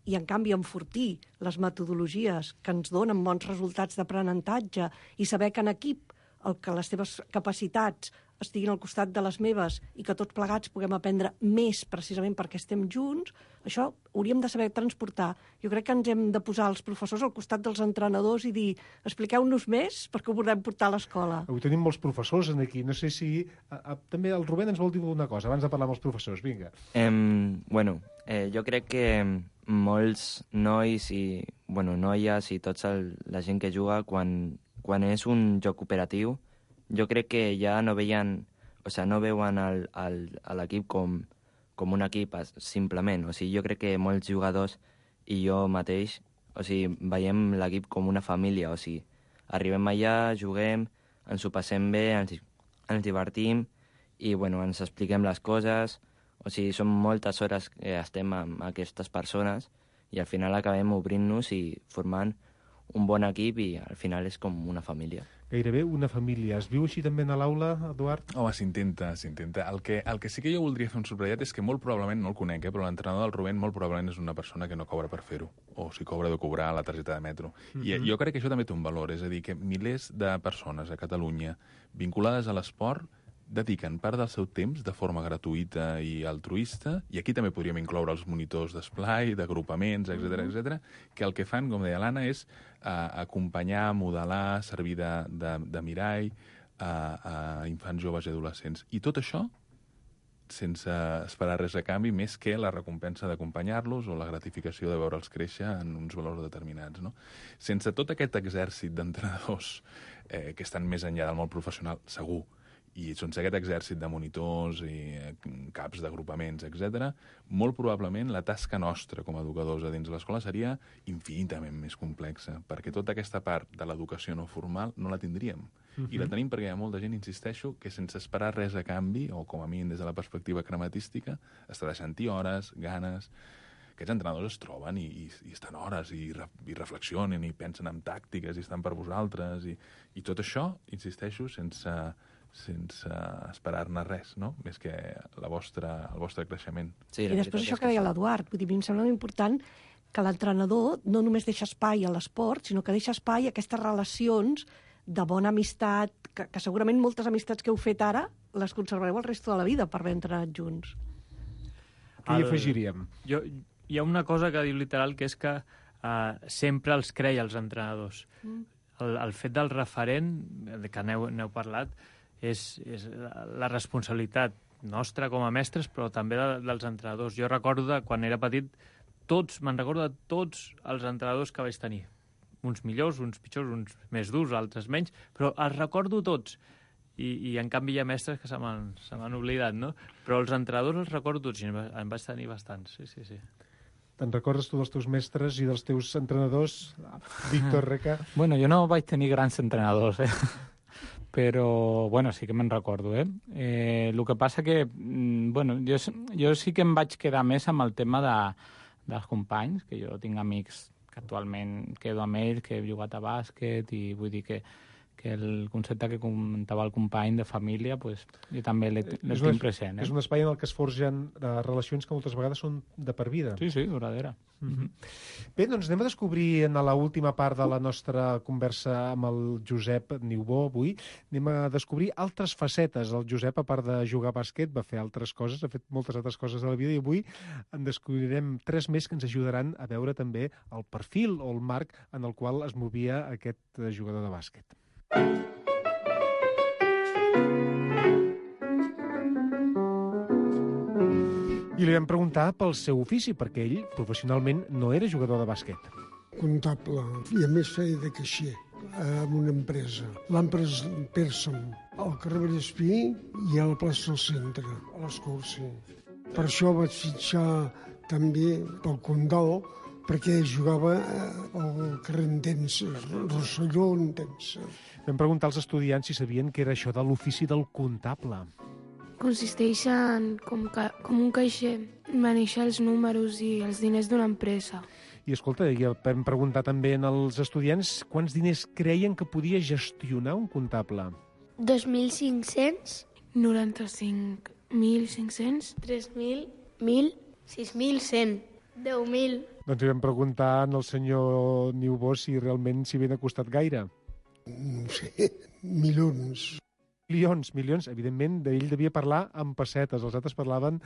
i, en canvi, enfortir les metodologies que ens donen bons resultats d'aprenentatge i saber que en equip que les teves capacitats estiguin al costat de les meves i que tots plegats puguem aprendre més precisament perquè estem junts, això hauríem de saber transportar. Jo crec que ens hem de posar els professors al costat dels entrenadors i dir, expliqueu-nos més perquè ho podem portar a l'escola. Avui tenim molts professors aquí. No sé si... també el Rubén ens vol dir una cosa abans de parlar amb els professors. Vinga. Jo crec que molts nois i noies i tota la gent que juga, quan és un joc cooperatiu, jo crec que ja no veien, no veuen l'equip com un equip simplement. Jo crec que molts jugadors i jo mateix, veiem l'equip com una família. Arribem allà, juguem, ens ho passem bé, ens divertim i ens expliquem les coses. Són moltes hores que estem amb aquestes persones i al final acabem obrint-nos i formant un bon equip i al final és com una família. Gairebé una família. Es viu així també a l'aula, Eduard? Home, s'intenta. El que sí que jo voldria fer un subratllat és que molt probablement, no el conec, però l'entrenador del Rubén molt probablement és una persona que no cobra per fer-ho, o si cobra de cobrar la targeta de metro. I jo crec que això també té un valor, és a dir, que milers de persones a Catalunya vinculades a l'esport dediquen part del seu temps de forma gratuïta i altruista, i aquí també podríem incloure els monitors d'esplai, d'agrupaments, etc, que el que fan, com deia l'Anna, és acompanyar, modelar, servir de mirall a infants, joves i adolescents. I tot això sense esperar res a canvi, més que la recompensa d'acompanyar-los o la gratificació de veure'ls créixer en uns valors determinats, no? Sense tot aquest exèrcit d'entrenadors que estan més enllà del món professional, segur, i sense aquest exèrcit de monitors i caps d'agrupaments, etc., molt probablement la tasca nostra com a educadors a dins l'escola seria infinitament més complexa, perquè tota aquesta part de l'educació no formal no la tindríem. I la tenim perquè hi ha molta gent, insisteixo, que sense esperar res a canvi, o com a mínim des de la perspectiva crematística, està deixant-hi hores, ganes. Aquests entrenadors es troben i estan hores i reflexionen i pensen en tàctiques i estan per vosaltres. I tot això, insisteixo, sense esperar-ne res, no? Més que el vostre creixement. Sí, i després això que deia l'Eduard, vull dir, a mi em sembla important que l'entrenador no només deixa espai a l'esport, sinó que deixa espai a aquestes relacions de bona amistat, que segurament moltes amistats que heu fet ara les conservareu el resto de la vida per haver entrenat junts. Què hi afegiríem? Hi ha una cosa que diu literal, que és que sempre els creia els entrenadors. El fet del referent, que n'heu parlat, és la responsabilitat nostra com a mestres, però també dels entrenadors. Jo recordo quan era petit, me'n recordo de tots els entrenadors que vaig tenir. Uns millors, uns pitjors, uns més durs, altres menys, però els recordo tots. I en canvi hi ha mestres que se m'han oblidat, no? Però els entrenadors els recordo tots, i en vaig tenir bastants, sí. Te'n recordes tu dels teus mestres i dels teus entrenadors? Víctor Reca? Bueno, jo no vaig tenir grans entrenadors, però, bueno, sí que me'n recordo, el que passa que, bueno, jo sí que em vaig quedar més amb el tema dels companys, que jo tinc amics que actualment quedo amb ells, que he jugat a bàsquet, i vull dir que el concepte que comentava el company de família, pues, jo també l'he tinc present. És un espai en el que es forgen relacions que moltes vegades són de per vida. Sí, duradera. Bé, doncs anem a descobrir en l'última part de la nostra conversa amb el Josep Niubó avui, anem a descobrir altres facetes. El Josep, a part de jugar a bàsquet, va fer altres coses, ha fet moltes altres coses de la vida, i avui en descobrirem 3 més que ens ajudaran a veure també el perfil o el marc en el qual es movia aquest jugador de bàsquet. I li vam preguntar pel seu ofici, perquè ell professionalment no era jugador de bàsquet. Comptable, i a més feia de caixer en una empresa. L'empresa Pearson, al carrer Vallespí i a la plaça del Centre, a l'Escursi. Per això vaig fitxar també pel Condal, perquè jugava al carrer Entença, Rosselló Entença. Vam preguntar als estudiants si sabien què era això de l'ofici del comptable. Consisteix en, com un caixer, manejar els números i els diners d'una empresa. I escolta, vam preguntar també als estudiants quants diners creien que podia gestionar un comptable. 2.500. 95.500. 3.000. 1.000. 6.100. 10.000. Doncs li vam preguntar al senyor Niubó si realment s'hi havien acostat gaire. No sé, milions. Milions, evidentment, d'ell devia parlar amb pessetes, els altres parlaven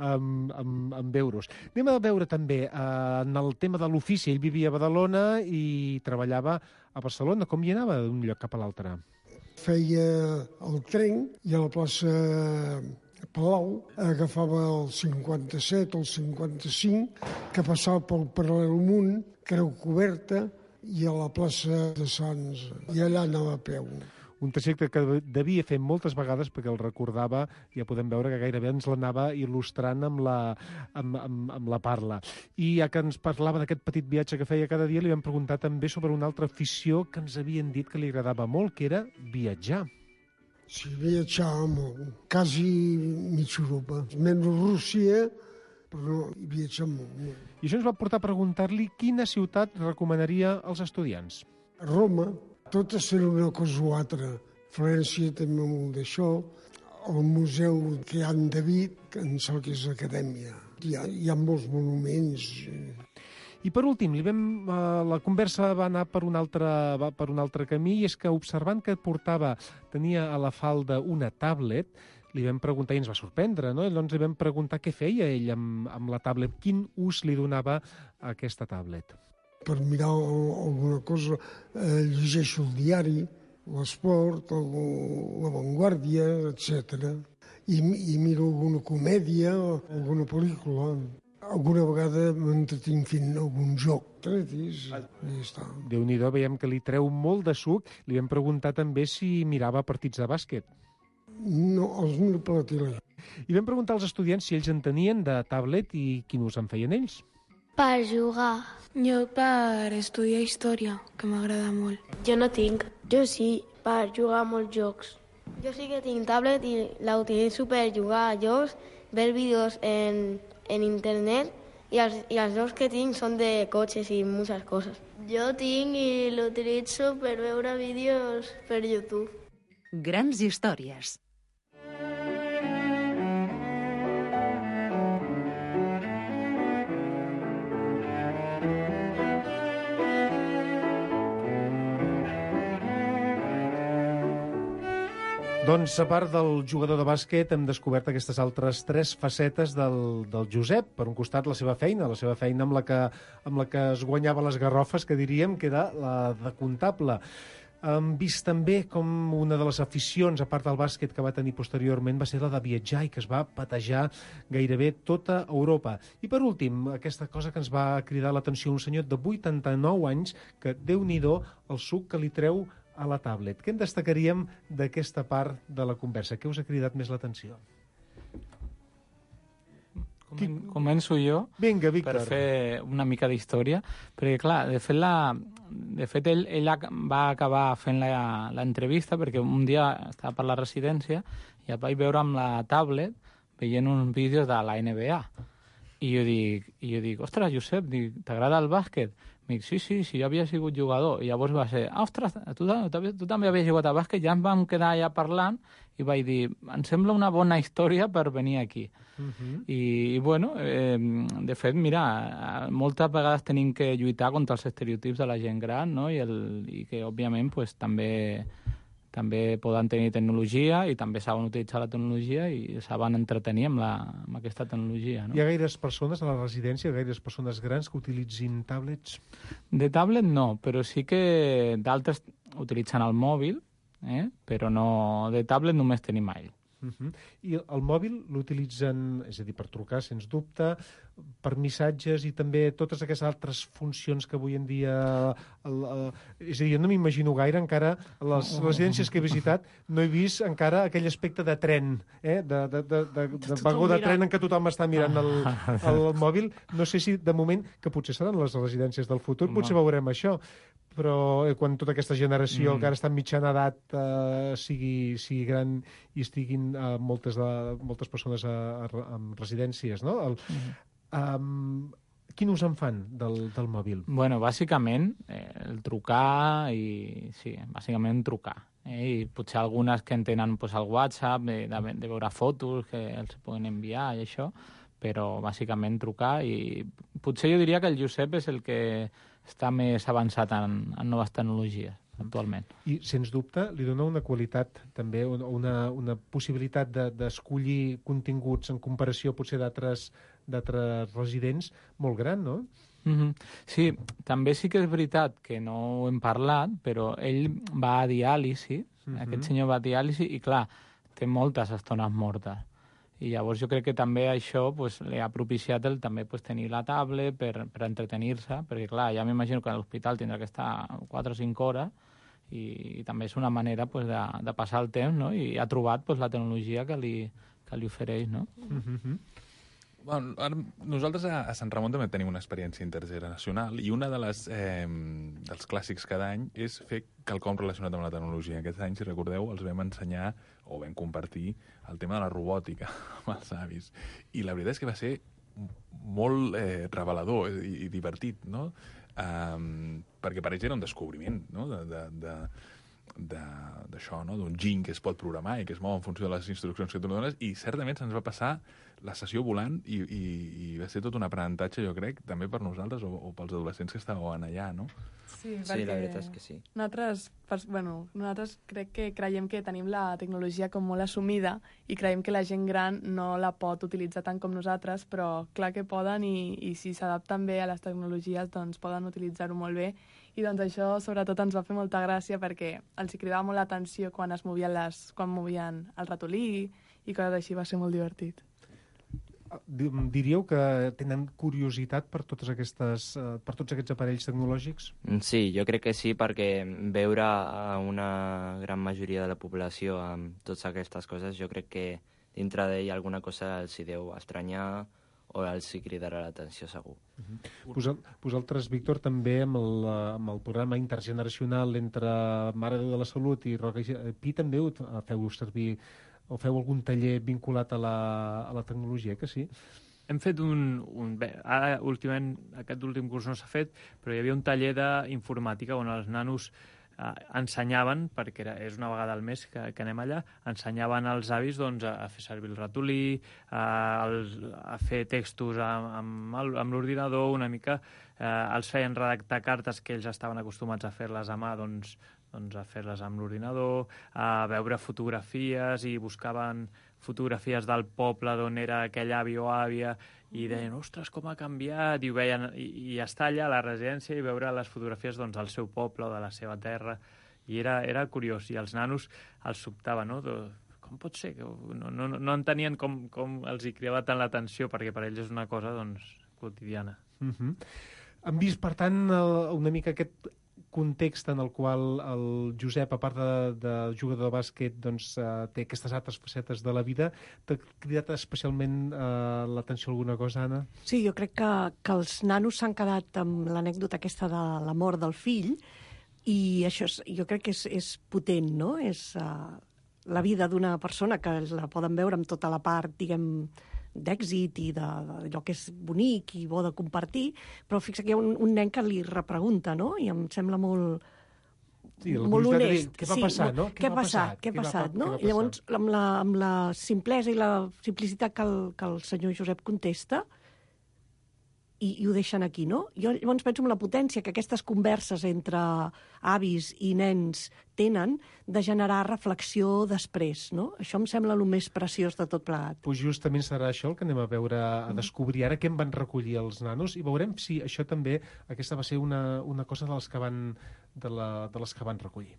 amb euros. Anem a veure també en el tema de l'ofici. Ell vivia a Badalona i treballava a Barcelona. Com hi anava d'un lloc cap a l'altre? Feia el tren i a la plaça Palau agafava el 57 o el 55, que passava pel Paral·lel Creu Coberta, i a la plaça de Sants. I allà anava a peu. Un trajecte que devia fer moltes vegades perquè el recordava, ja podem veure que gairebé ens l'anava il·lustrant amb la parla. I ja que ens parlava d'aquest petit viatge que feia cada dia, li vam preguntar també sobre una altra afició que ens havien dit que li agradava molt, que era viatjar. Sí, viatjava molt, quasi mitja Europa. Menys Rússia, però viatjava molt. I això ens va portar a preguntar-li quina ciutat recomanaria als estudiants. Roma. Totes eren una cosa o altra. Florència també molt d'això. El museu que hi ha en David, que em sembla que és l'acadèmia. Hi ha molts monuments. I per últim, la conversa va anar per un altre camí, i és que observant que tenia a la falda una tablet, li vam preguntar, i ens va sorprendre, no? Llavors li vam preguntar què feia ell amb la tablet, quin ús li donava a aquesta tablet. Per mirar alguna cosa llegeixo el diari, l'esport, la Vanguardia, etc. I miro alguna comèdia, alguna pel·lícula. Alguna vegada m'entretinc fent algun joc, i ja està. Déu-n'hi-do, veiem que li treu molt de suc. Li vam preguntar també si mirava partits de bàsquet. No, els miro per la tele. I vam preguntar als estudiants si ells en tenien de tablet i quin ús en feien ells. Per jugar. Jo per estudiar història, que m'agrada molt. Jo no tinc. Jo sí, per jugar a molts jocs. Jo sí que tinc tablet i la utilitzo per jugar a jocs, ver vídeos en internet i els jocs que tinc són de cotxes i moltes coses. Jo tinc i l'utilitzo per veure vídeos per YouTube. Grans històries. Doncs, a part del jugador de bàsquet, hem descobert aquestes altres 3 facetes del Josep. Per un costat, la seva feina amb la que es guanyava les garrofes, que diríem que era la de comptable. Hem vist també com una de les aficions, a part del bàsquet, que va tenir posteriorment va ser la de viatjar i que es va patejar gairebé tota Europa. I per últim, aquesta cosa que ens va cridar l'atenció, un senyor de 89 anys que, Déu-n'hi-do, el suc que li treu a la tablet. Què en destacaríem d'aquesta part de la conversa? Què us ha cridat més l'atenció? Començo jo. Vinga, Víctor. Per fer una mica d'història, perquè clar, de fet ell va acabar fent l'entrevista perquè un dia estava per la residència i el vaig veure amb la tablet veient uns vídeos de la NBA. I jo dic, ostres, Josep, t'agrada el bàsquet? Em dic, sí, jo havia sigut jugador. I llavors va ser, ostres, tu també havies jugat a bàsquet? Ja ens vam quedar allà parlant i vaig dir, em sembla una bona història per venir aquí. I bueno, de fet, mira, moltes vegades tenim que lluitar contra els estereotips de la gent gran, no? I que, òbviament, pues, també poden tenir tecnologia i també saben utilitzar la tecnologia i saben entretenir amb aquesta tecnologia. No? Hi ha gaires persones a la residència, gaires persones grans que utilitzin tablets? De tablet no, però sí que d'altres utilitzen el mòbil, però no, de tablet només tenim a ell. I el mòbil l'utilitzen, és a dir, per trucar, sens dubte, per missatges i també totes aquestes altres funcions que avui en dia... És a dir, jo no m'imagino gaire encara, a les residències que he visitat, no he vist encara aquell aspecte de tren, de vagó de tren en què tothom està mirant el mòbil. No sé si, de moment, que potser seran les residències del futur, potser veurem això, però quan tota aquesta generació que ara està en mitjana edat sigui gran i estiguin moltes persones en residències, no? Quin ús en fan del mòbil? Bueno, bàsicament, el trucar i... Sí, bàsicament trucar. I potser algunes que en tenen el WhatsApp, de veure fotos que els poden enviar i això, però bàsicament trucar i potser jo diria que el Josep és el que està més avançat en noves tecnologies actualment. I, sens dubte, li dona una qualitat també, una possibilitat d'escollir continguts en comparació potser d'altres residents molt gran, no? Sí, també sí que és veritat que no ho hem parlat, però ell va a diàlisi, aquest senyor va a diàlisi i, clar, té moltes estones mortes. I llavors jo crec que també això li ha propiciat també tenir la tablet per entretenir-se, perquè clar, ja m'imagino que a l'hospital tindrà que estar 4 o 5 hores i també és una manera de passar el temps, no? I ha trobat la tecnologia que li ofereix, no? Bueno, nosaltres a Sant Ramon també tenim una experiència intergeneracional i una dels clàssics cada any és fer quelcom relacionat amb la tecnologia. Aquest any, si recordeu, els vam ensenyar o vam compartir el tema de la robòtica amb els avis. I la veritat és que va ser molt revelador i divertit, no? Perquè per ells era un descobriment, no? d'això, no? D'un giny que es pot programar i que es mou en funció de les instruccions que tu li dones, i certament se'ns va passar la sessió volant i va ser tot un aprenentatge, jo crec, també per nosaltres o pels adolescents que estàvem allà, no? Sí, la veritat és que sí. Nosaltres crec que creiem que tenim la tecnologia com molt assumida i creiem que la gent gran no la pot utilitzar tant com nosaltres, però clar que poden i si s'adapten bé a les tecnologies doncs poden utilitzar-ho molt bé. I doncs això sobretot ens va fer molta gràcia perquè els hi cridava molt l'atenció quan movien el ratolí i coses així, va ser molt divertit. Diríeu que tenen curiositat per tots aquests aparells tecnològics? Sí, jo crec que sí, perquè veure a una gran majoria de la població amb totes aquestes coses, jo crec que dintre d'ell alguna cosa els hi deu estranyar o els hi cridarà l'atenció segur. Vosaltres, Víctor, també amb el programa intergeneracional entre Mare de Déu de la Salut i Roca i Pi també feu servir o feu algun taller vinculat a la tecnologia, que sí? Hem fet ara, últimament, aquest últim curs no s'ha fet, però hi havia un taller d'informàtica on els nanos ensenyaven, perquè és una vegada al mes que anem allà, ensenyaven als avis doncs, a fer servir el ratolí, a fer textos amb l'ordinador, una mica, els feien redactar cartes que ells estaven acostumats a fer-les a mà, doncs a fer-les amb l'ordinador, a veure fotografies i buscaven fotografies del poble d'on era aquell avi o àvia i deien, ostres, com ha canviat, i ho veien, i estar allà a la residència i veure les fotografies doncs, del seu poble o de la seva terra, i era curiós, i els nanos els sobtava, no? Com pot ser? No entenien com els hi cridava tant l'atenció, perquè per ells és una cosa doncs, quotidiana. Han vist, per tant, una mica aquest context en el qual el Josep, a part de jugador de bàsquet, doncs, té aquestes altres facetes de la vida. T'ha cridat especialment l'atenció alguna cosa, Anna? Sí, jo crec que els nanos s'han quedat amb l'anècdota aquesta de la mort del fill i això jo crec que és potent, no? És la vida d'una persona que la poden veure amb tota la part, diguem, d'èxit i d'allò que és bonic i bo de compartir, però fixa que hi ha un nen que li repregunta, no? I em sembla molt honest. Què va passar, no? Què ha passat, no? I llavors, amb la simplesa i la simplicitat que el senyor Josep contesta, i ho deixen aquí, no? Jo llavors penso en la potència que aquestes converses entre avis i nens tenen de generar reflexió després, no? Això em sembla el més preciós de tot plegat. Pues justament serà això el que anem a veure, a descobrir ara què en van recollir els nanos, i veurem si això també, aquesta va ser una cosa de les que van recollir.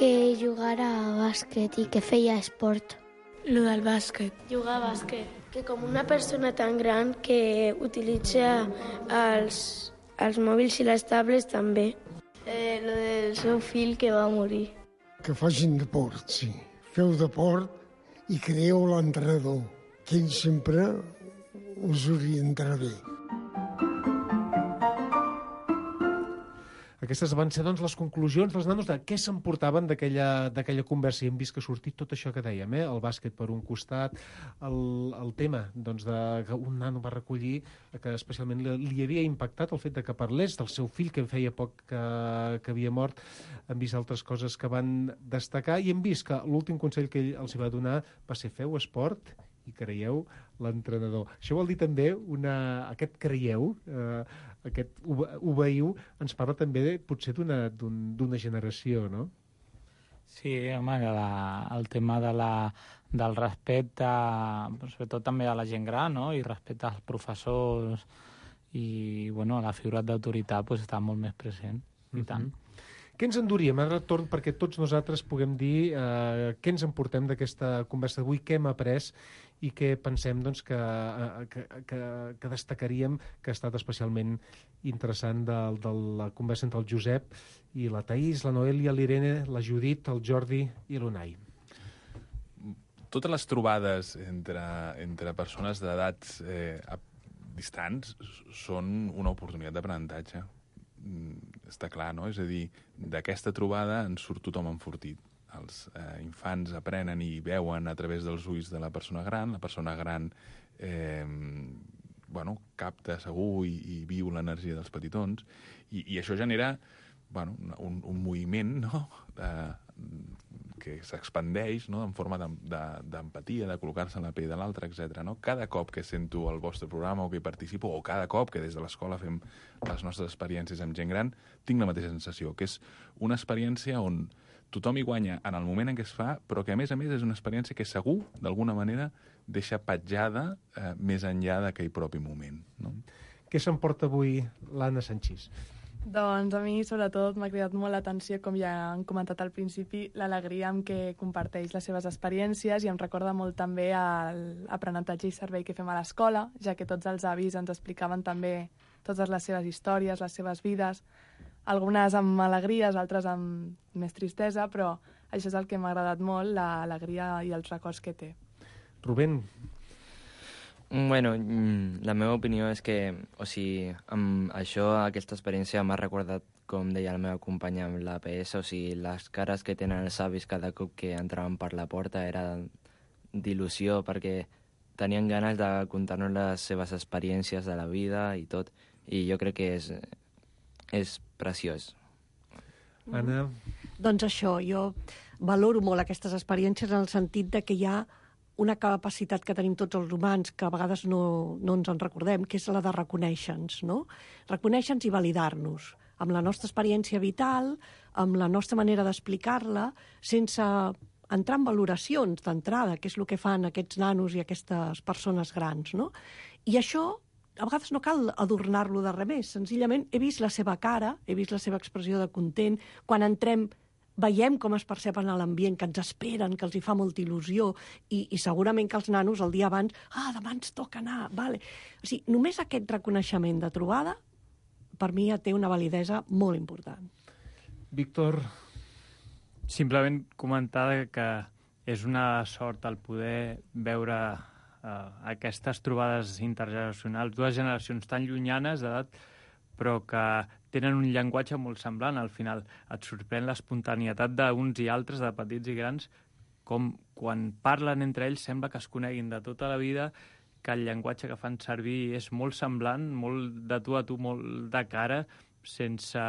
Que jugara a bàsquet i que feia esport. Lo del bàsquet. Jugar a bàsquet. Que com una persona tan gran que utilitza els mòbils i les tablets també. Lo del seu fill que va morir. Que facin deport, sí. Feu deport i creeu l'entrenador, que ell sempre us orientarà bé. Aquestes van ser, doncs, les conclusions dels nanos de què s'emportaven d'aquella conversa. I hem vist que ha sortit tot això que dèiem, el bàsquet per un costat, el tema doncs, que un nano va recollir, que especialment li havia impactat el fet de que parlés del seu fill, que feia poc que havia mort. Hem vist altres coses que van destacar i hem vist que l'últim consell que ell els va donar va ser feu esport i creieu l'entrenador. Això vol dir també aquest creieu, aquest obeïu, ens parla també potser d'una generació, no? Sí, home, el tema del respecte, sobretot també a la gent gran, no? I respecte als professors i, bueno, la figura d'autoritat pues, està molt més present, i tant. Què ens enduríem? Ara torn perquè tots nosaltres puguem dir què ens emportem d'aquesta conversa d'avui, què hem après i què pensem doncs, que destacaríem que ha estat especialment interessant de la conversa entre el Josep i la Taís, la Noèlia, l'Irene, la Judit, el Jordi i l'Unai. Totes les trobades entre persones d'edats distants són una oportunitat d'aprenentatge. Està clar, no? És a dir, d'aquesta trobada en surt tothom enfortit. Els infants aprenen i veuen a través dels ulls de la persona gran capta segur i viu l'energia dels petitons, i això genera un moviment, no?, que s'expandeix, no?, en forma d'empatia, de col·locar-se en la pell de l'altre, etc. No? Cada cop que sento el vostre programa o que hi participo, o cada cop que des de l'escola fem les nostres experiències amb gent gran, tinc la mateixa sensació, que és una experiència on tothom hi guanya en el moment en què es fa, però que, a més, és una experiència que segur, d'alguna manera, deixa petjada més enllà d'aquell propi moment. No? Què s'emporta avui l'Anna Sanchís? Doncs a mi, sobretot, m'ha cridat molt l'atenció, com ja han comentat al principi, l'alegria amb què comparteix les seves experiències, i em recorda molt també l'aprenentatge i servei que fem a l'escola, ja que tots els avis ens explicaven també totes les seves històries, les seves vides, algunes amb alegries, altres amb més tristesa, però això és el que m'ha agradat molt, l'alegria i els records que té. Rubén? Bueno, la meva opinió és que, amb això, aquesta experiència m'ha recordat, com deia la meva companya amb l'APS, les cares que tenen els avis cada cop que entraven per la porta era d'il·lusió, perquè tenien ganes de contar-nos les seves experiències de la vida i tot, i jo crec que és preciós. Anna? Doncs això, jo valoro molt aquestes experiències en el sentit de que hi ha una capacitat que tenim tots els humans, que a vegades no ens en recordem, que és la de reconèixer-nos, no? Reconèixer-nos i validar-nos, amb la nostra experiència vital, amb la nostra manera d'explicar-la, sense entrar en valoracions d'entrada, que és el que fan aquests nanos i aquestes persones grans, no? I això, a vegades no cal adornar-lo de res més, senzillament he vist la seva cara, he vist la seva expressió de content, quan entrem veiem com es perceben a l'ambient, que ens esperen, que els hi fa molta il·lusió, i segurament que els nanos el dia abans, demà ens toca anar, vale. O sigui, només aquest reconeixement de trobada, per mi ja té una validesa molt important. Víctor? Simplement comentar que és una sort el poder veure aquestes trobades intergeneracionals, dues generacions tan llunyanes d'edat, però que tenen un llenguatge molt semblant. Al final et sorprèn l'espontanietat d'uns i altres, de petits i grans, com quan parlen entre ells sembla que es coneguin de tota la vida, que el llenguatge que fan servir és molt semblant, molt de tu a tu, molt de cara, sense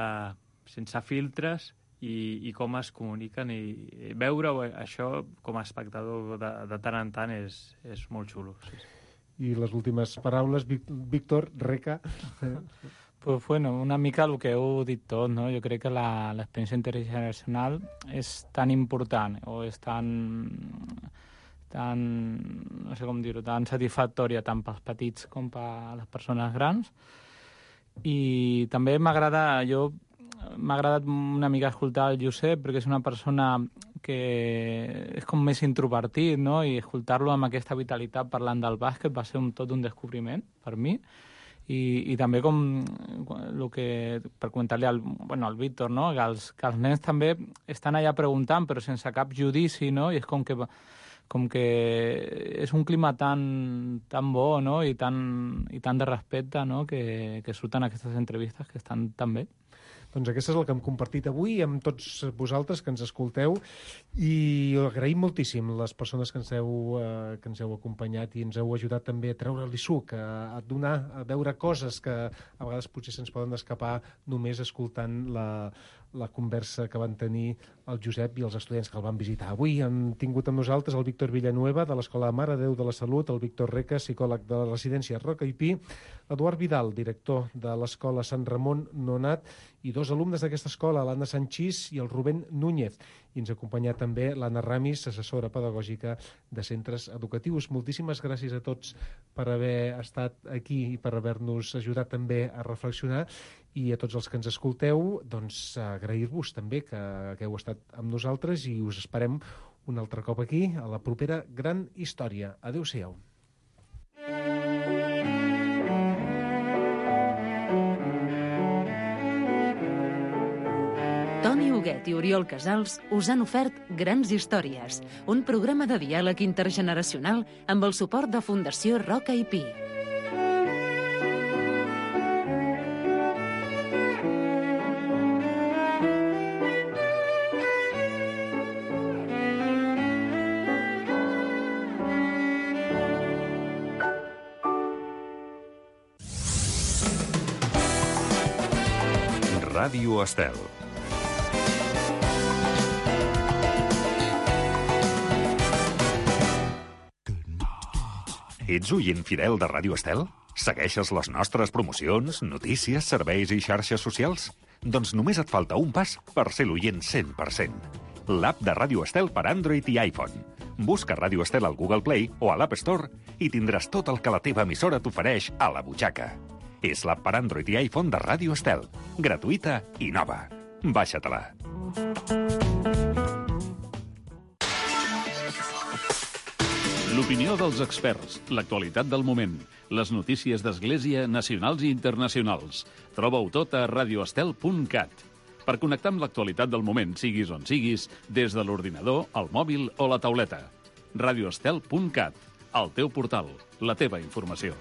filtres, i com es comuniquen. I veure això com a espectador de tant en tant és molt xulo. Sí. I les últimes paraules, Víctor, Reca? Pues bueno, una mica el que heu dit tot, no? Jo crec que l'experiència intergeneracional és tan important, o és tan no sé com dir-ho, tan satisfactòria tant pels petits com per les persones grans. I també m'ha agradat una mica escoltar el Josep, perquè és una persona que és com més introvertit, no? I escoltar-lo amb aquesta vitalitat parlant del bàsquet va ser tot un descobriment per mi. I també com el que, per comentar-li al Víctor, no? que els nens també estan allà preguntant, però sense cap judici, no? I és com que és un clima tan bo, no? i tan de respecte, no? que surten aquestes entrevistes que estan tan bé. Doncs aquesta és el que hem compartit avui amb tots vosaltres que ens escolteu, i agraïm moltíssim les persones que ens heu acompanyat i ens heu ajudat també a treure-li suc, a donar, a veure coses que a vegades potser se'ns poden escapar només escoltant la conversa que van tenir el Josep i els estudiants que el van visitar. Avui hem tingut amb nosaltres el Víctor Villanueva, de l'Escola Mare de Déu de la Salut, el Víctor Reca, psicòleg de la residència Roca i Pi, l'Eduard Vidal, director de l'Escola Sant Ramon Nonat, i dos alumnes d'aquesta escola, l'Anna Sanchís i el Rubén Núñez. I ens acompanya també l'Anna Ramis, assessora pedagògica de centres educatius. Moltíssimes gràcies a tots per haver estat aquí i per haver-nos ajudat també a reflexionar, i a tots els que ens escolteu, doncs agrair-vos també que heu estat amb nosaltres, i us esperem un altre cop aquí a la propera gran història. Adéu-siau. Toni Huguet i Oriol Casals us han ofert Grans Històries, un programa de diàleg intergeneracional amb el suport de Fundació Roca i Pi. Ràdio Estel. Ets oient fidel de Ràdio Estel? Segueixes les nostres promocions, notícies, serveis i xarxes socials? Doncs només et falta un pas per ser l'oient 100%. L'app de Ràdio Estel per Android i iPhone. Busca Ràdio Estel al Google Play o a l'App Store i tindràs tot el que la teva emissora t'ofereix a la butxaca. És l'app per Android i iPhone de Ràdio Estel. Gratuïta i nova. Baixa-te-la. L'opinió dels experts, l'actualitat del moment, les notícies d'Església nacionals i internacionals. Troba-ho tot a radioestel.cat. Per connectar amb l'actualitat del moment, siguis on siguis, des de l'ordinador, el mòbil o la tauleta. radioestel.cat, el teu portal, la teva informació.